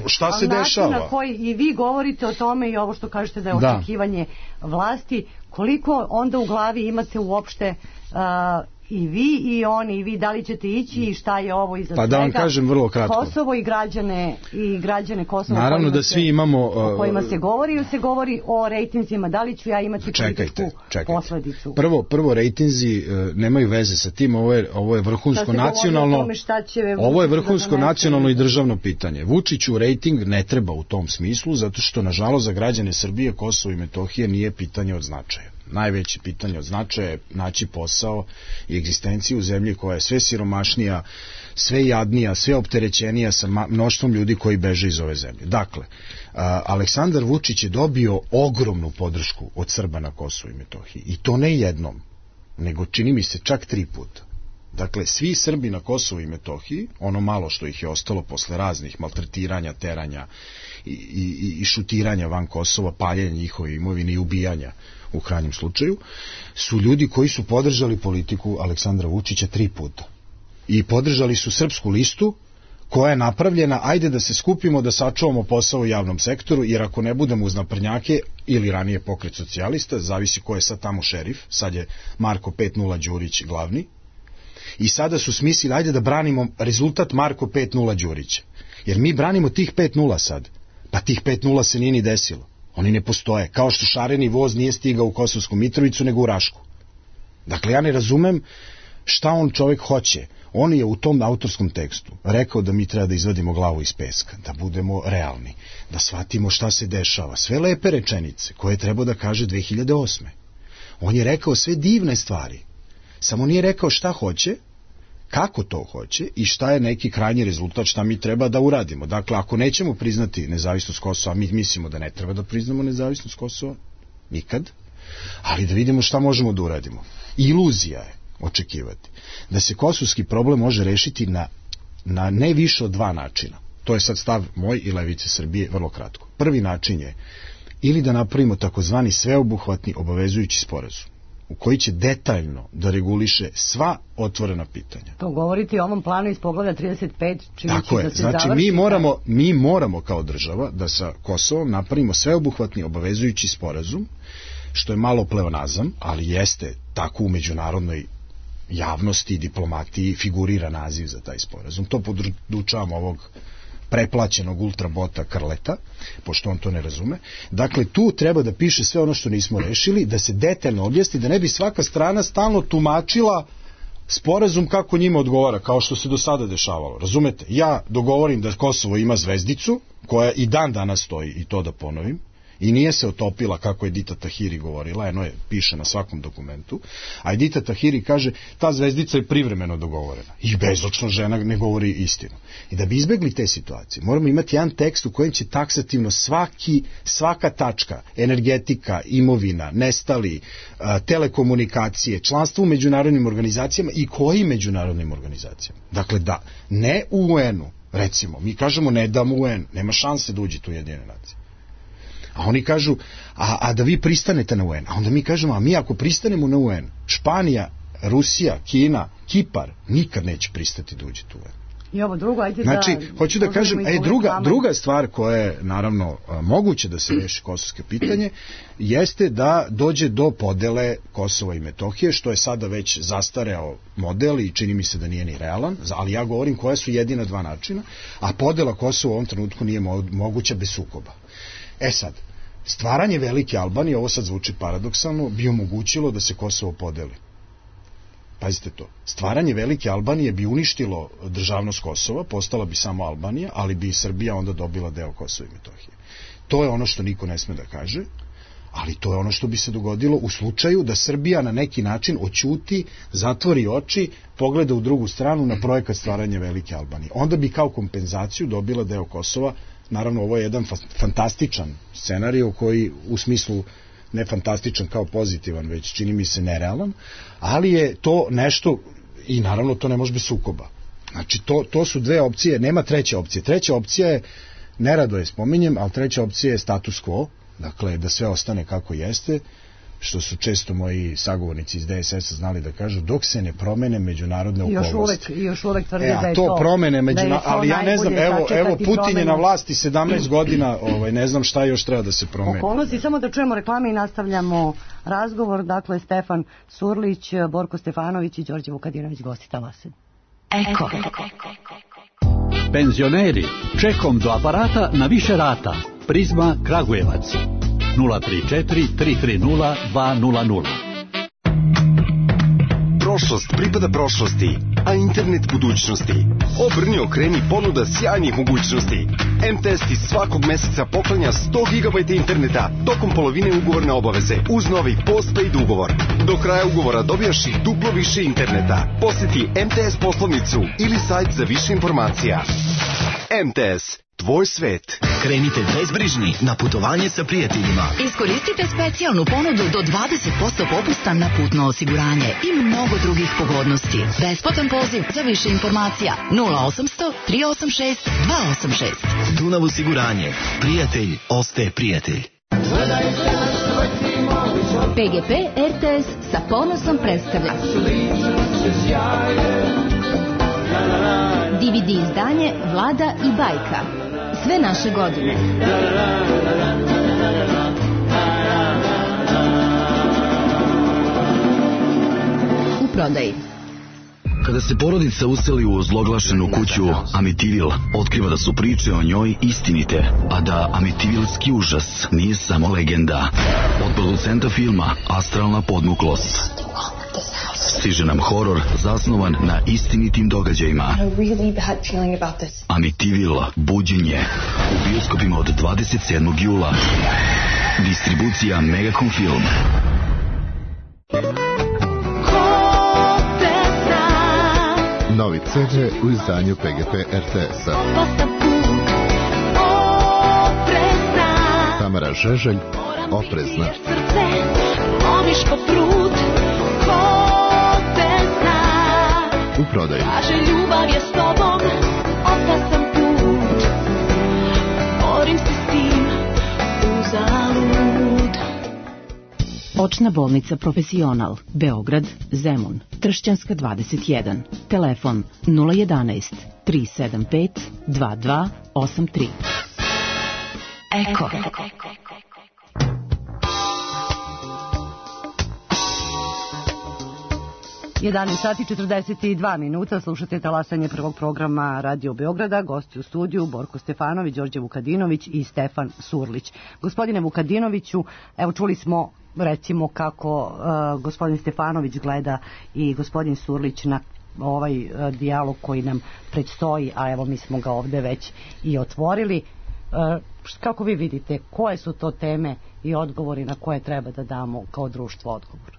šta se dešava. Na koji i vi govorite o tome i ovo što kažete da je očekivanje vlasti, koliko onda u glavi imate uopšte i vi i oni i vi, da li ćete ići i šta je ovo iza Pa da vam kažem vrlo kratko. Kosovo i građane Kosova naravno da svi imamo o kojima se govori ili se govori o rejtinzima, da li ću ja imati političku posledicu? Prvo rejtinzi nemaju veze sa tim, ovo je vrhunsko nacionalno, ovo je vrhunsko nacionalno i državno pitanje. Vučiću rejting ne treba u tom smislu, zato što nažalost za građane Srbije Kosovo i Metohija nije pitanje od značaja. Najveće pitanje od značaja je naći posao i egzistenciju u zemlji koja je sve siromašnija, sve jadnija, sve opterećenija sa mnoštvom ljudi koji beže iz ove zemlje. Dakle, Aleksandar Vučić je dobio ogromnu podršku od Srba na Kosovu i Metohiji. I to ne jednom, nego čini mi se čak 3 puta. Dakle, svi Srbi na Kosovu i Metohiji, ono malo što ih je ostalo posle raznih maltretiranja, teranja i šutiranja van Kosova, paljenja njihove imovine i ubijanja u krajnjem slučaju, su ljudi koji su podržali politiku Aleksandra Vučića 3 puta. I podržali su Srpsku listu koja je napravljena, ajde da se skupimo da sačuvamo posao u javnom sektoru, jer ako ne budemo uz naprednjake ili ranije Pokret socijalista, zavisi ko je sad tamo šerif, sad je Marko 5-0 Đurić glavni, i sada su smislili, ajde da branimo rezultat Marko 5-0 Đurića, jer mi branimo tih 5-0 sad, pa tih 5-0 se nije ni desilo. Oni ne postoje, kao što šareni voz nije stigao u Kosovsku Mitrovicu nego u Rašku. Dakle, ja ne razumem šta on čovjek hoće. On je u tom autorskom tekstu rekao da mi treba da izvadimo glavu iz peska, da budemo realni, da shvatimo šta se dešava. Sve lepe rečenice koje treba da kaže 2008. On je rekao sve divne stvari, samo nije rekao šta hoće, kako to hoće i šta je neki krajnji rezultat, šta mi treba da uradimo. Dakle, ako nećemo priznati nezavisnost Kosova, mi mislimo da ne treba da priznamo nezavisnost Kosova, nikad, ali da vidimo šta možemo da uradimo. Iluzija je očekivati da se kosovski problem može rešiti na ne više od 2 načina. To je sad stav moj i Levice Srbije, vrlo kratko. Prvi način je ili da napravimo takozvani sveobuhvatni obavezujući sporazum u koji će detaljno da reguliše sva otvorena pitanja. To govorite o ovom planu iz poglavlja 35, čini tako je, da se znači završi. Mi moramo kao država da sa Kosovom napravimo sveobuhvatni obavezujući sporazum, što je malo pleonazam, ali jeste tako u međunarodnoj javnosti i diplomatiji figurira naziv za taj sporazum. To podučavam ovog preplaćenog ultrabota Krleta, pošto on to ne razume. Dakle, tu treba da piše sve ono što nismo rešili, da se detaljno objasni, da ne bi svaka strana stalno tumačila sporazum kako njima odgovara, kao što se do sada dešavalo. Razumete? Ja dogovorim da Kosovo ima zvezdicu, koja i dan danas stoji, i to da ponovim, i nije se otopila kako je Dita Tahiri govorila, eno je, piše na svakom dokumentu, a Dita Tahiri kaže, ta zvezdica je privremeno dogovorena. I bezočno žena ne govori istinu. I da bi izbegli te situacije, moramo imati jedan tekst u kojem će taksativno svaka tačka, energetika, imovina, nestali, telekomunikacije, članstvo u međunarodnim organizacijama i kojim međunarodnim organizacijama. Dakle, da, ne u UN-u, recimo, mi kažemo ne damo UN, nema šanse da uđete u Ujedinjene nacije. A oni kažu, a da vi pristanete na UN. A onda mi kažemo, a mi ako pristanemo na UN, Španija, Rusija, Kina, Kipar, nikad neće pristati da uđete u UN. I ovo drugo, ajde znači, da... hoću da kažem, druga stvar koja je, naravno, moguće da se reši kosovsko pitanje, jeste da dođe do podele Kosova i Metohije, što je sada već zastareo model i čini mi se da nije ni realan, ali ja govorim koja su jedina 2 načina, a podela Kosova u ovom trenutku nije moguća bez sukoba. E sad, stvaranje velike Albanije, ovo sad zvuči paradoksalno, bi omogućilo da se Kosovo podeli. Pazite to. Stvaranje velike Albanije bi uništilo državnost Kosova, postala bi samo Albanija, ali bi i Srbija onda dobila deo Kosova i Metohije. To je ono što niko ne sme da kaže, ali to je ono što bi se dogodilo u slučaju da Srbija na neki način oćuti, zatvori oči, pogleda u drugu stranu na projekat stvaranja velike Albanije. Onda bi kao kompenzaciju dobila deo Kosova. Naravno, ovo je jedan fantastičan scenarij koji u smislu ne fantastičan kao pozitivan, već čini mi se nerealan, ali je to nešto i naravno to ne može biti sukoba. Znači, to su 2 opcije, nema treće opcije. Treća opcija je, nerado je spominjem, ali treća opcija je status quo, dakle da sve ostane kako jeste, što su često moji sagovornici iz DSS-a znali da kažu, dok se ne promene međunarodne okolnosti. Još uvek tvrdi da je to promene ali ja ne znam, evo Putin je na vlasti 17 godina, ne znam šta još treba da se promeni. Okolnosti, samo da čujemo reklame i nastavljamo razgovor. Dakle, Stefan Surlić, Borko Stefanović i Đorđe Vukadinović, gosti Talasenje. Eko. Penzioneri, čekom do aparata na više rata. Prizma Kragujevac 034 330 200. Prošlost pripada prošlosti, a internet budućnosti. Obrni, okreni, ponuda sjajnih mogućnosti. MTS ti svakog meseca poklanja 100 GB interneta tokom polovine ugovorne obaveze uz novi postpaid ugovor. Do kraja ugovora dobijaš i duplo više interneta. Posjeti MTS poslovnicu ili sajt za više informacija. MTS, tvoj svet. Krenite bezbrižni na putovanje sa prijateljima. Iskoristite specijalnu ponudu do 20% popusta na putno osiguranje i mnogo drugih pogodnosti. Besplatan poziv za više informacija 0800 386 286. Dunav osiguranje. Prijatelj ostaje prijatelj. PGP RTS sa ponosom predstavlja DVD izdanje Vlada i bajka. Sve naše godine. U prodaji. Kada se porodica useli u ozloglašenu kuću Amityville, otkriva da su priče o njoj istinite, a da Amityvilski užas nije samo legenda. Od producenta filma Astralna podmuklost stiže nam horor zasnovan na istinitim događajima. Amityville, buđenje, u bioskopima od 27. jula. Distribucija Megacom Film. Novi CD u izdanju PGP RTS-a. Tamara Žeželj, Oprezna. U prodaju. Ljubav je s tobom, opasan put. Borim se s tim, uzalud. Očna bolnica Profesional, Beograd, Zemun, Tršćanska 21. Telefon 011 375 2283. Eko. 11 sati 42 minuta, slušate talasanje prvog programa Radio Beograda, gosti u studiju Borko Stefanović, Đorđe Vukadinović i Stefan Surlić. Gospodine Vukadinoviću, evo čuli smo recimo kako gospodin Stefanović gleda i gospodin Surlić na ovaj dijalog koji nam predstoji, a evo mi smo ga ovde već i otvorili. Kako vi vidite, koje su to teme i odgovori na koje treba da damo kao društvo odgovor?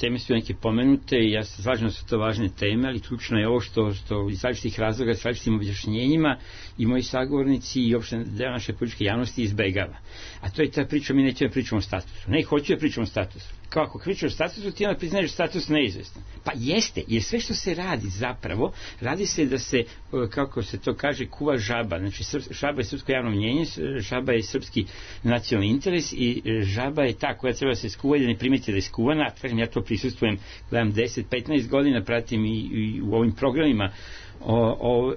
Teme su neke pomenute i ja se slažem da su to važne teme, ali ključno je ovo što iz različitih razloga, s različitim objašnjenjima i moji sagovornici i uopšte deo naše političke javnosti izbegava. A to je ta priča, mi nećemo pričamo o statusu. Ne, hoću da pričamo o statusu. Kako pričamo o statusu, ti onda priznaješ status neizvestan. Pa jeste, jer sve što se radi zapravo, radi se da se, kako se to kaže, kuva žaba. Znači, žaba je srpsko javno mnjenje, žaba je srpski nacionalni interes i žaba je ta koja treba da se skuva i da ne primeti da je skuvana. Kažem, ja to prisustvujem, gledam 10-15 godina, pratim i u ovim programima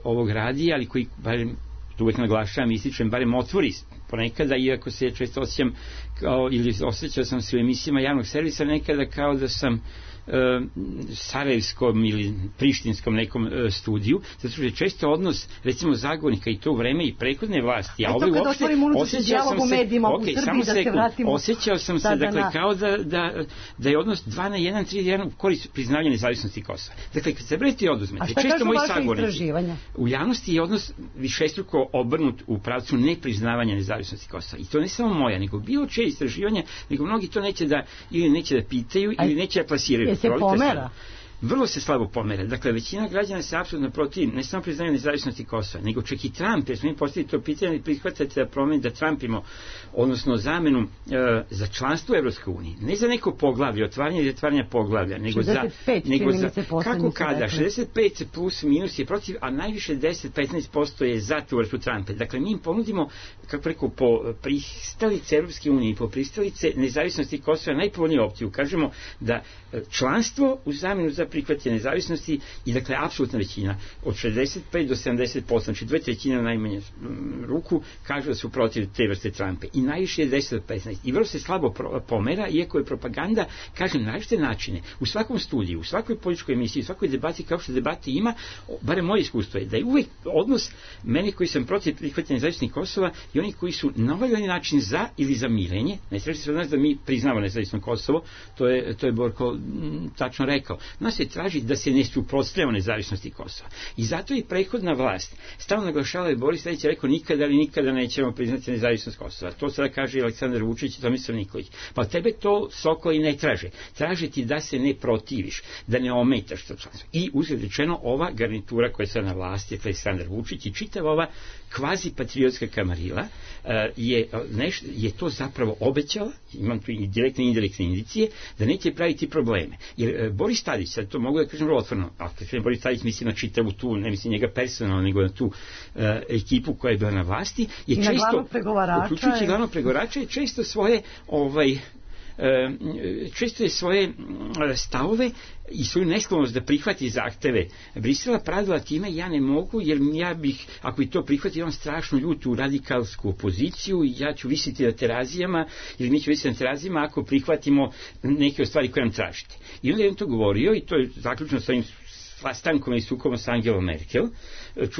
ovog radija, ali koji, barem, uvek naglašavam, ističem, barem otvori ponekada, iako se često osjećam ili osjećao sam se u emisijama javnog servisa nekada kao da sam sarajevskom ili prištinskom nekom studiju, zato što je često odnos recimo zagovornika i to u vreme i prethodne vlasti, a ovaj uopšte osjećao sam se dakle kao da je odnos 2:1, 3:1 u korist priznavanja nezavisnosti Kosova. Dakle, kad se breti oduzmete, često moji sagovornici u javnosti je odnos višestruko obrnut u pravcu nepriznavanja nezavisnosti Kosova. I to ne samo moja, nego bilo čije istraživanja, nego mnogi to neće da ili neće da pitaju ili neće da plasiraju. Se pomera? vrlo se slabo pomera. Dakle, većina građana se apsolutno protiv, ne samo priznaju nezavisnosti Kosova, nego čak i Trump, jer smo im postavili to pitanje i prihvatate da Trumpimo, odnosno zamenu za članstvo u Evropskoj uniji. Ne za neko poglavlje, otvaranje i zatvaranje poglavlja, nego za kako kada, 65 plus minus je protiv, a najviše 10-15% je za tu vrstu Trumpa. Dakle, mi im ponudimo, kako rekao, po pristalice Evropske unije, po pristalice nezavisnosti Kosova najpovoljniju opciju. Kažemo da članstvo u zamenu za prihvatanje nezavisnosti i dakle apsolutna većina od 65 do 70%, znači 2/3 na najmanje ruku kažu da su protiv te vrste Trumpa i najviše je 10 do 15 i vrlo se slabo pomera, iako je propaganda, kažem, na različite načine u svakom studiju, u svakoj političkoj emisiji, u svakoj debati, kao što debati ima, barem moje iskustvo je da je uvek odnos mene koji sam protiv prihvatanja nezavisnosti Kosova i oni koji su na ovaj način za ili za mirenje. Ne traži se od nas da mi priznamo nezavisno Kosovo, to je Borko tačno rekao. Nas se traži da se ne suprotstavljamo nezavisnosti Kosova. I zato i prethodna vlast stalno naglašava, Boris Tadić je rekao nikada nećemo priznati nezavisnost Kosova. To sada kaže i Aleksandar Vučić i Tomislav Nikolić. Pa tebe to Sokoli ne traže. Traže ti da se ne protiviš, da ne ometaš to članstvo. I uzgled rečeno, ova garnitura koja je sada na vlasti, Aleksandar Vučić i čitava ova kvazi patriotska kamarila je to zapravo obećala, imam tu i direktne i indirektne indicije, da neće praviti probleme. Jer Boris Tadić, sad to mogu da kažem vrlo otvoreno, ako Boris Tadić misli na čitavu tu, ne misli njega personalno, nego na tu ekipu koja je bila na vlasti, je često, uključujući glavnog pregovarača, je često svoje svoje stavove i svoju nesklonost da prihvati zahteve Brisela pravila time ja ne mogu, jer ja bih, ako bi to prihvatio, imam strašno ljutu radikalsku opoziciju i ja ću visiti na terazijama, ili mi ću visiti na terazijama ako prihvatimo neke stvari koje nam tražite. I onda je on to govorio i to je zaključno sa ovim sastankom i sukobom sa Angelom Merkel,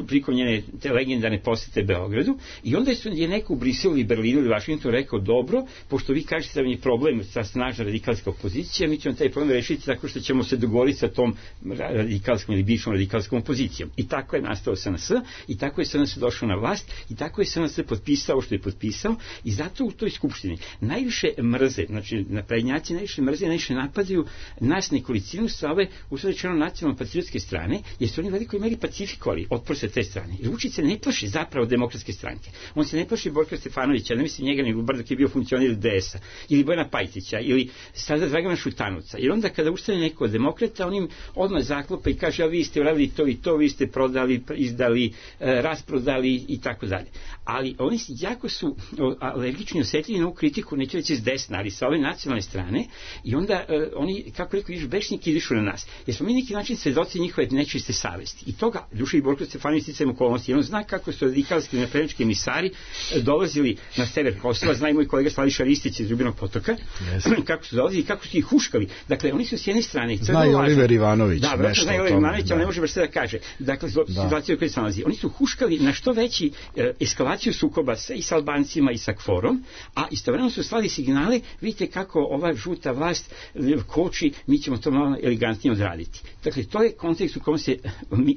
prilikom njene te legendarne posete Beogradu, i onda je neko u Briselu ili Berlinu ili Vašingtonu rekao, dobro, pošto vi kažete da vam je problem sa snažna radikalska opozicija, mi ćemo taj problem rešiti tako što ćemo se dogovoriti sa tom radikalskom ili bivšom radikalskom opozicijom. I tako je nastao SNS, i tako je SNS došao na vlast, i tako je SNS potpisao što je potpisao, i zato u toj skupštini najviše mrze, znači naprednjaci najviše mrze, najviše napadaju nas nekolicinu sa ove usrećeno nacionalno patriotske strane, jer su oni u velikoj meri pacifikovali otpor sa te strane. I Vučić se ne plaši zapravo demokratske stranke. On se ne plaši Borka Stefanovića, ne misli njega, nego bar dok je bio funkcioner DS-a, ili Bojana Pajtića, ili sada Dragana Šutanovca. Jer onda kada ustane neko od demokrata, on im odmah zaklopa i kaže, a vi ste uradili to i to, vi ste prodali, izdali, rasprodali i tako dalje. Ali oni jako su alergični, osjetljivi na ovu kritiku, neću reći s desna, ali sa ove nacionalne strane, i onda oni, kako rekao, bešniki izišu na nas. Jer smo mi neki način svedoci njihove nečiste savesti. I toga Duša i Borko Stefanović sticajem okolnosti. On zna kako su radikalski naprednjački emisari dolazili na sever Kosova, zna i moj kolega Slaviša Ristić iz Ljubinog potoka, kako su dolazili i kako su ih huškali. Dakle, oni su s jedne strane... Zna i Oliver Ivanović. Da, vratno zna i Oliver Ivanović, ali ne može baš sve da kaže. Dakle, situaciju u kojoj se nalazi. Oni su huškali na što veći eskalaciju sukoba i sa Albancima i sa KFOR-om, a istovremeno su slali signale, vidite kako ova žuta vlast koči, mi ćemo to malo elegantnije odraditi. Dakle, to je kontekst u kom se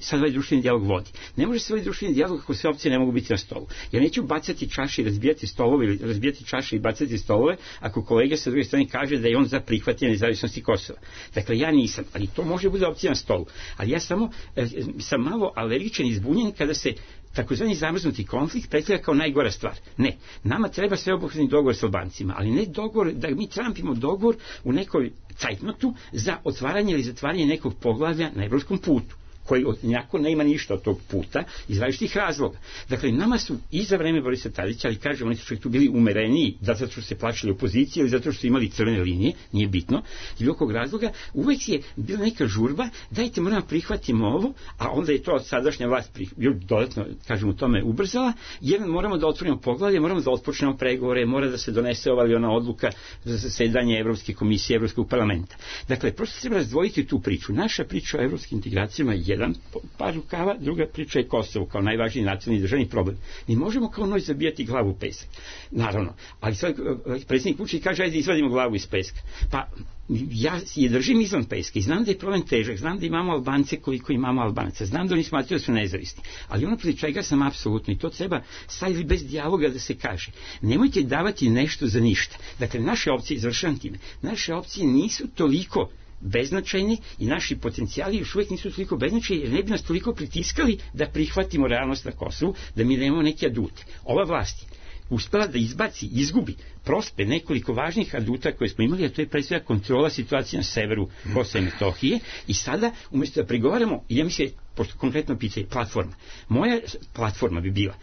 sad ovaj društveni dijalog vodi. Ne može se ovaj društveni dijalog ako sve opcije ne mogu biti na stolu. Ja neću bacati čaše i razbijati stolove ili razbijati čaše i bacati stolove ako kolega sa druge strane kaže da je on za prihvatanje nezavisnosti Kosova. Dakle, ja nisam, ali to može bude opcija na stolu. Ali ja samo sam malo alergičan i zbunjen kada se takozvani zamrznuti konflikt predstavlja kao najgora stvar. Ne, nama treba sveobuhvatni dogovor s Albancima, ali ne dogovor da mi trampimo dogovor u nekoj cajtnotu za otvaranje ili zatvaranje nekog poglavlja na evropskom putu, koji njako nema ništa od tog puta iz različitih razloga. Dakle, nama su i za vreme Borisa Tadića, ali kažem, oni su čak tu bili umereniji zato što su se plašili opozicije ili zato što su imali crvene linije, nije bitno, iz nekog razloga, uvek je bila neka žurba, dajte moramo prihvatimo ovo, a onda je to sadašnja vlast dodatno, kažem, u tome ubrzala, jer moramo da otvorimo poglavlje, moramo da otpočnemo pregovore, mora da se donese ova ili ona odluka za zasedanje Evropske komisije, Evropskog parlamenta. Dakle, prosto treba razdvojiti tu priču. Naša priča o evropskim integracijama je jedan par rukava, druga priča je Kosovo kao najvažniji nacionalni državni problem. Mi možemo kao noć zabijati glavu u pesak. Naravno. Ali sad predsjednik Vučić kaže, ajde izvadimo glavu iz peska. Pa ja je držim izvan peska i znam da je problem težak, znam da imamo Albance koliko imamo Albanaca, znam da oni smatraju da su nezavisni, ali ono protiv čega sam apsolutno, i to treba staviti bez dijaloga da se kaže, nemojte davati nešto za ništa. Dakle, naše opcije, izvršavam time, naše opcije nisu toliko beznačajni i naši potencijali još uvijek nisu toliko beznačajni, jer ne bi nas toliko pritiskali da prihvatimo realnost na Kosovu, da mi nemamo neke adute. Ova vlast uspela da izgubi prospe nekoliko važnih aduta koje smo imali, a to je pre svega kontrola situacije na severu Kosova i Metohije, i sada, umjesto da pregovaramo, ja mislim, pošto konkretno pitanje, platforma. Moja platforma bi bila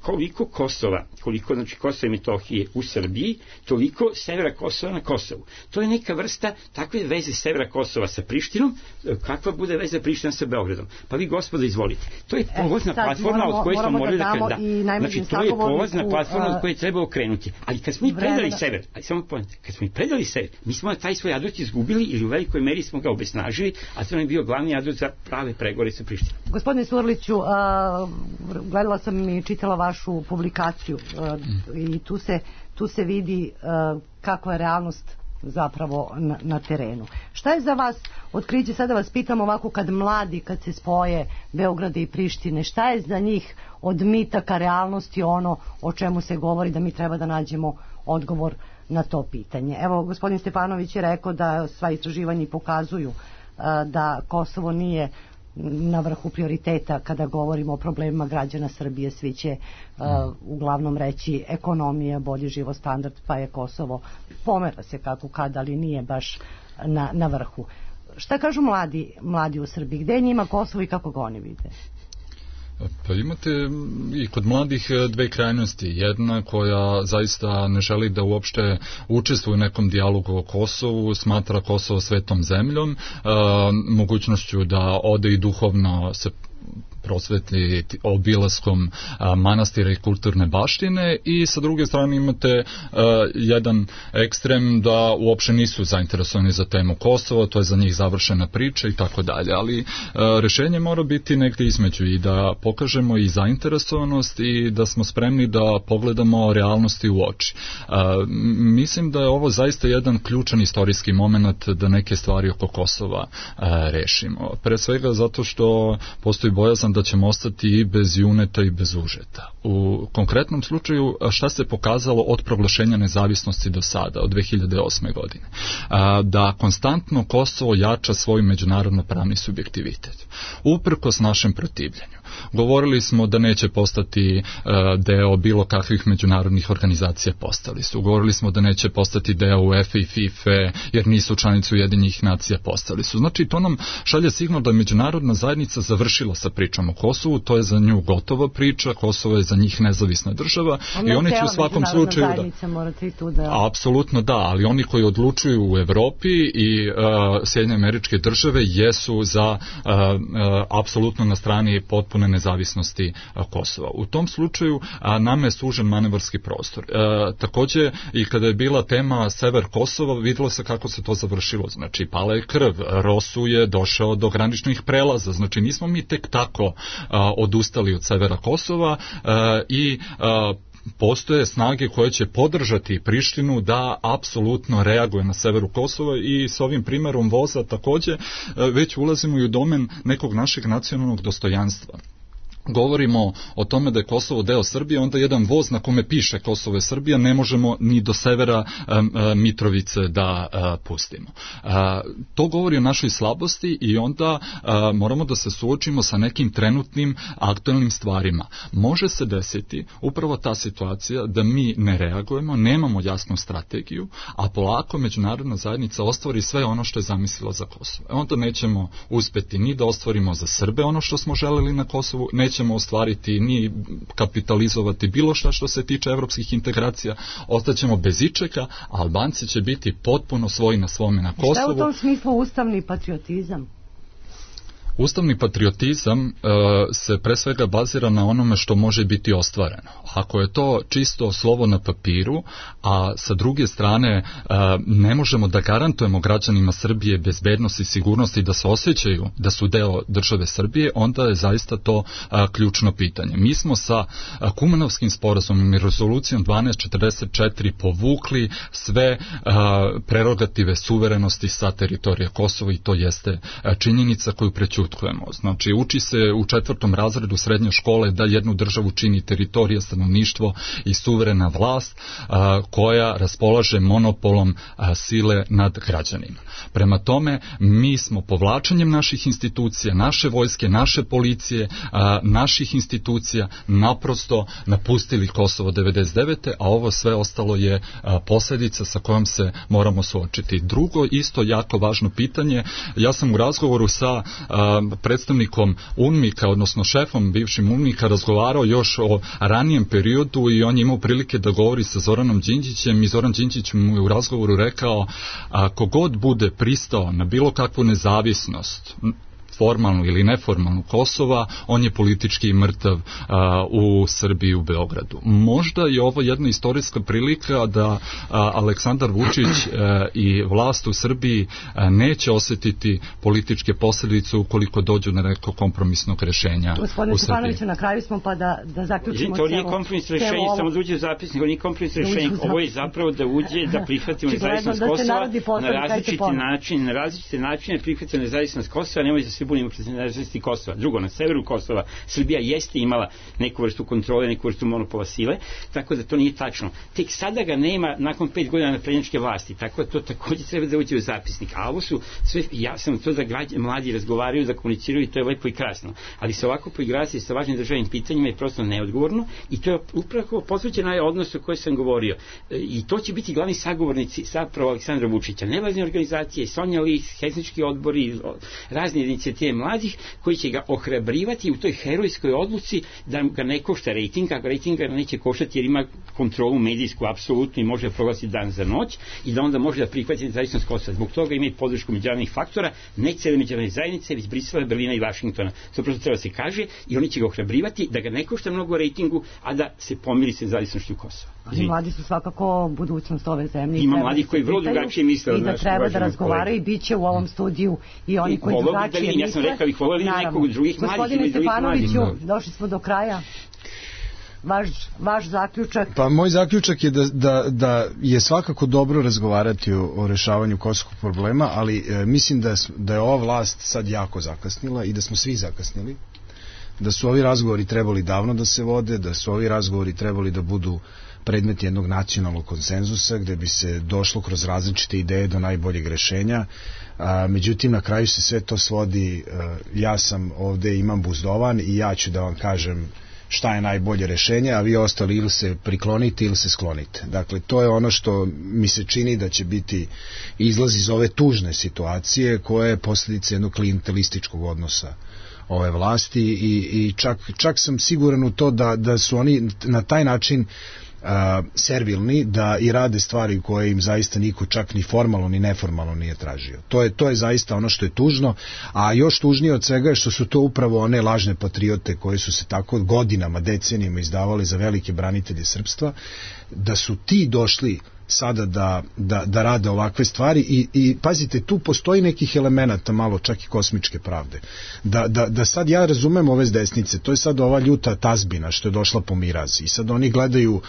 koliko Kosova, znači Kosova i Metohije u Srbiji, toliko severa Kosova na Kosovu. To je neka vrsta takve veze severa Kosova sa Prištinom, kakva bude veza Priština sa Beogradom. Pa vi, gospodo, izvolite. To je polazna platforma od koje smo morali da... Znači, to je polazna platforma od koje treba okrenuti. Ali kad smo i predali sever, mi smo taj svoj adut izgubili ili u velikoj meri smo ga obesnažili, a to nam je bio glavni adut za prave pregovore sa Prištinom. Gospodine Surliću, gledala sam i čitala vašu publikaciju i tu se vidi kakva je realnost zapravo na terenu. Šta je za vas otkriće, sada vas pitam ovako, kad se spoje Beograda i Prištine, šta je za njih od mita ka realnosti ono o čemu se govori da mi treba da nađemo odgovor na to pitanje? Evo, gospodin Stefanović je rekao da sva istraživanja pokazuju da Kosovo nije na vrhu prioriteta kada govorimo o problemima građana Srbije. Svi će uglavnom reći ekonomija, bolji život standard, pa je Kosovo, pomera se kako kad, ali nije baš na vrhu. Šta kažu mladi u Srbiji? Gde je njima Kosovo i kako ga oni vide? Pa imate i kod mladih dve krajnosti. Jedna koja zaista ne želi da uopšte učestvuje u nekom dijalogu o Kosovu, smatra Kosovo svetom zemljom, mogućnošću da ode i duhovno se prosvetli obilaskom manastira i kulturne baštine, i sa druge strane imate jedan ekstrem da uopšte nisu zainteresovani za temu Kosova, to je za njih završena priča i tako dalje, ali rešenje mora biti negdje između i da pokažemo i zainteresovanost i da smo spremni da pogledamo realnosti u oči. Mislim da je ovo zaista jedan ključan istorijski moment da neke stvari oko Kosova rešimo. Pre svega zato što postoji bojazan da ćemo ostati i bez juneta i bez užeta. U konkretnom slučaju šta se pokazalo od proglašenja nezavisnosti do sada, od 2008. godine? Da konstantno Kosovo jača svoj međunarodno pravni subjektivitet. Uprkos našem protivljenju. Govorili smo da neće postati deo bilo kakvih međunarodnih organizacija, postali su. Govorili smo da neće postati deo UEFA i FIFA jer nisu članice Ujedinjenih nacija, postali su. Znači, to nam šalje signal da je međunarodna zajednica završila sa pričom o Kosovu, to je za nju gotova priča, Kosovo je za njih nezavisna država i oni će u svakom slučaju apsolutno da, ali oni koji odlučuju u Evropi i Sjedinjene Američke Države jesu za apsolutno na strani potpune nezavisnosti Kosova. U tom slučaju nama je sužen manevarski prostor. Takođe, i kada je bila tema sever Kosova, videlo se kako se to završilo. Znači, pala je krv, Rosu je došao do graničnih prelaza. Znači, nismo mi tek tako odustali od severa Kosova i postoje snage koje će podržati Prištinu da apsolutno reaguje na severu Kosova, i s ovim primerom voza takođe već ulazimo i u domen nekog našeg nacionalnog dostojanstva. Govorimo o tome da je Kosovo deo Srbije, onda jedan voz na kome piše Kosovo je Srbija ne možemo ni do severa Mitrovice da pustimo. To govori o našoj slabosti i onda moramo da se suočimo sa nekim trenutnim aktualnim stvarima. Može se desiti upravo ta situacija da mi ne reagujemo, nemamo jasnu strategiju, a polako međunarodna zajednica ostvari sve ono što je zamislila za Kosovo. Onda nećemo uspeti ni da ostvarimo za Srbe ono što smo želeli na Kosovu, nećemo ostvariti ni kapitalizovati bilo šta što se tiče evropskih integracija, ostaćemo bez ičega, a Albanci će biti potpuno svoji na svome na Kosovu. Šta je u tom smislu ustavni patriotizam? Ustavni patriotizam se pre svega bazira na onome što može biti ostvareno. Ako je to čisto slovo na papiru, a sa druge strane ne možemo da garantujemo građanima Srbije bezbednost i sigurnost i da se osjećaju da su deo države Srbije, onda je zaista to ključno pitanje. Mi smo sa Kumanovskim sporazumom i rezolucijom 1244 povukli sve prerogative suverenosti sa teritorija Kosova i to jeste činjenica koju prećutimo. ušutkujemo. Znači, uči se u 4. razredu srednje škole da jednu državu čini teritorija, stanovništvo i suverena vlast koja raspolaže monopolom sile nad građanima. Prema tome, mi smo povlačenjem naših institucija, naše vojske, naše policije, naših institucija naprosto napustili Kosovo 99. a ovo sve ostalo je posljedica sa kojom se moramo suočiti. Drugo, isto jako važno pitanje, ja sam u razgovoru sa predstavnikom UNMIK-a, odnosno šefom bivšim UNMIK-a, razgovarao još o ranijem periodu i on je imao prilike da govori sa Zoranom Đinđićem i Zoran Đinđić mu je u razgovoru rekao, ako god bude pristao na bilo kakvu nezavisnost, formalnu ili neformalnu Kosova, on je politički mrtav u Srbiji, u Beogradu. Možda je ovo jedna istorijska prilika da Aleksandar Vučić i vlast u Srbiji neće osjetiti političke posljedice ukoliko dođu na neko kompromisnog rešenja u Srbiji. Gospodine Stefanoviću, na kraju smo pa da zaključimo to nije kompromis rešenje, samo da uđe u zapisnik, ovo nije kompromis rešenje, ovo je zapravo da uđe, da prihvatimo nezavisnost Kosova na različite načine prihvatimo nezavisnost Kosova, nemoj da se bunimo protiv nezavisnosti Kosova. Drugo, na severu Kosova Srbija jeste imala neku vrstu kontrole, neku vrstu monopola sile, tako da to nije tačno. Tek sada ga nema nakon 5 godina naprednjačke vlasti, tako da to također treba da uđe u zapisnik. A ovo su sve, ja sam to da mladi razgovaraju, da komuniciraju i to je lepo i krasno. Ali se ovako poigrati sa važnim državnim pitanjima je prosto neodgovorno i to je upravo posvećeno na odnos o kojoj sam govorio. I to će biti glavni sagovornici zapravo Aleksandra Vučića. Nevladine organizacije, Sonja Lis, Helsinški odbori, razne inicijative mladih koji će ga ohrabrivati u toj herojskoj odluci da ga ne košta rejting, a rejting ga neće koštati jer ima kontrolu medijsku apsolutno i može proglasiti dan za noć i da onda može da prihvati nezavisnost Kosova. Zbog toga ima i podršku međunarodnih faktora, ne cele međunarodne zajednice, već Brisela, Berlina i Vašingtona. To prosto treba se kaže i oni će ga ohrabrivati da ga ne košta mnogo rejtingu, a da se pomiri sa nezavisnošću Kosova. Ali mladi su svakako budućnost ove zemlje. Ima mladih koji vrlo drugačije misle i da treba da razgovaraju i bit će u ovom studiju i oni koji drugačije misle. Ja sam rekao ih voleli nekog drugih mladih. Gospodine Stefanoviću, došli smo do kraja. Vaš zaključak? Pa moj zaključak je da je svakako dobro razgovarati o rešavanju kosovskog problema, ali mislim da je ova vlast sad jako zakasnila i da smo svi zakasnili, da su ovi razgovori trebali davno da se vode, da su ovi razgovori trebali da budu predmet jednog nacionalnog konsenzusa gde bi se došlo kroz različite ideje do najboljeg rešenja. Međutim, na kraju se sve to svodi, ja sam ovde imam buzdovan i ja ću da vam kažem šta je najbolje rešenje, a vi ostali ili se priklonite ili se sklonite. Dakle, to je ono što mi se čini da će biti izlaz iz ove tužne situacije koja je posljedica jednog klijentelističkog odnosa ove vlasti i čak sam siguran u to da su oni na taj način servilni da i rade stvari koje im zaista niko čak ni formalno ni neformalno nije tražio. To je zaista ono što je tužno, a još tužnije od svega je što su to upravo one lažne patriote koje su se tako godinama, decenijama izdavali za velike branitelje srpstva, da su ti došli sada da rade ovakve stvari i pazite, tu postoji nekih elemenata malo čak i kosmičke pravde. Da sad ja razumem ove s desnice, to je sad ova ljuta tazbina što je došla po miraz i sad oni gledaju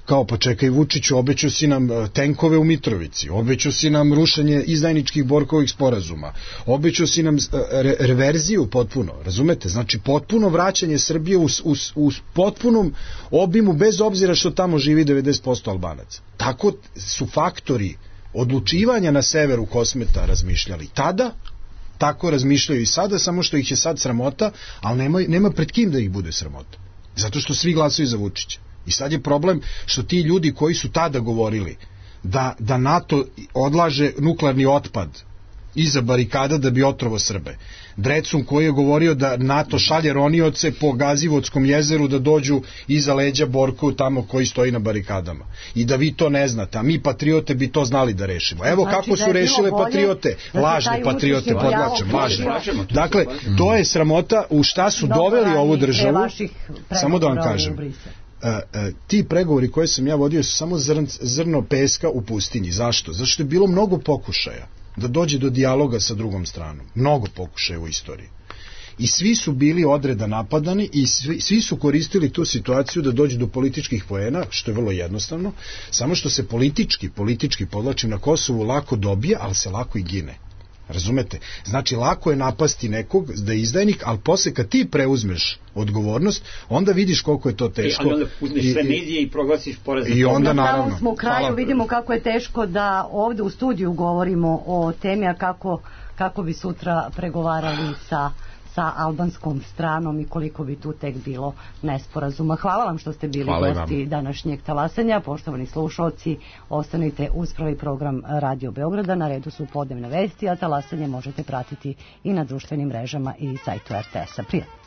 kao pa čekaj Vučiću, obećao si nam tenkove u Mitrovici, obećao si nam rušenje izdajničkih Borkovih sporazuma, obećao si nam reverziju potpuno, razumete? Znači potpuno vraćanje Srbije u potpunom obimu bez obzira što tamo živi 90% Albanaca. Tako su faktori odlučivanja na severu Kosmeta razmišljali tada, tako razmišljaju i sada, samo što ih je sad sramota, ali nema pred kim da ih bude sramota. Zato što svi glasaju za Vučića. I sad je problem što ti ljudi koji su tada govorili da NATO odlaže nuklearni otpad iza barikada da bi otrovo Srbe. Drecun koji je govorio da NATO šalje ronioce po Gazivodskom jezeru da dođu iza leđa Borku tamo koji stoji na barikadama. I da vi to ne znate, a mi patriote bi to znali da rešimo. Evo znači, kako su rešile patriote. Lažne patriote, podlačem, lažne. Dakle, to je sramota u šta su doveli ovu državu. Samo da vam kažem. Ti pregovori koje sam ja vodio su samo zrno peska u pustinji. Zašto? Zato što je bilo mnogo pokušaja da dođe do dijaloga sa drugom stranom. Mnogo pokušaja u istoriji. I svi su bili odreda napadani i svi su koristili tu situaciju da dođu do političkih poena, što je vrlo jednostavno, samo što se politički podlačim na Kosovu lako dobije, ali se lako i gine. Razumete? Znači, lako je napasti nekog da je izdajnik, ali posle kad ti preuzmeš odgovornost, onda vidiš koliko je to teško. Ali onda uzmeš sve medije i proglasiš poraz. I onda, naravno. Smo u kraju, Hvala. vidimo kako je teško da ovde u studiju govorimo o temi, a kako bi sutra pregovarali sa albanskom stranom i koliko bi tu tek bilo nesporazuma. Hvala vam što ste bili gosti današnjeg talasanja. Poštovani slušalci, ostanite uz prvi program Radio Beograda. Na redu su podnevne vesti, a talasanje možete pratiti i na društvenim mrežama i sajtu RTS-a. Prijatno.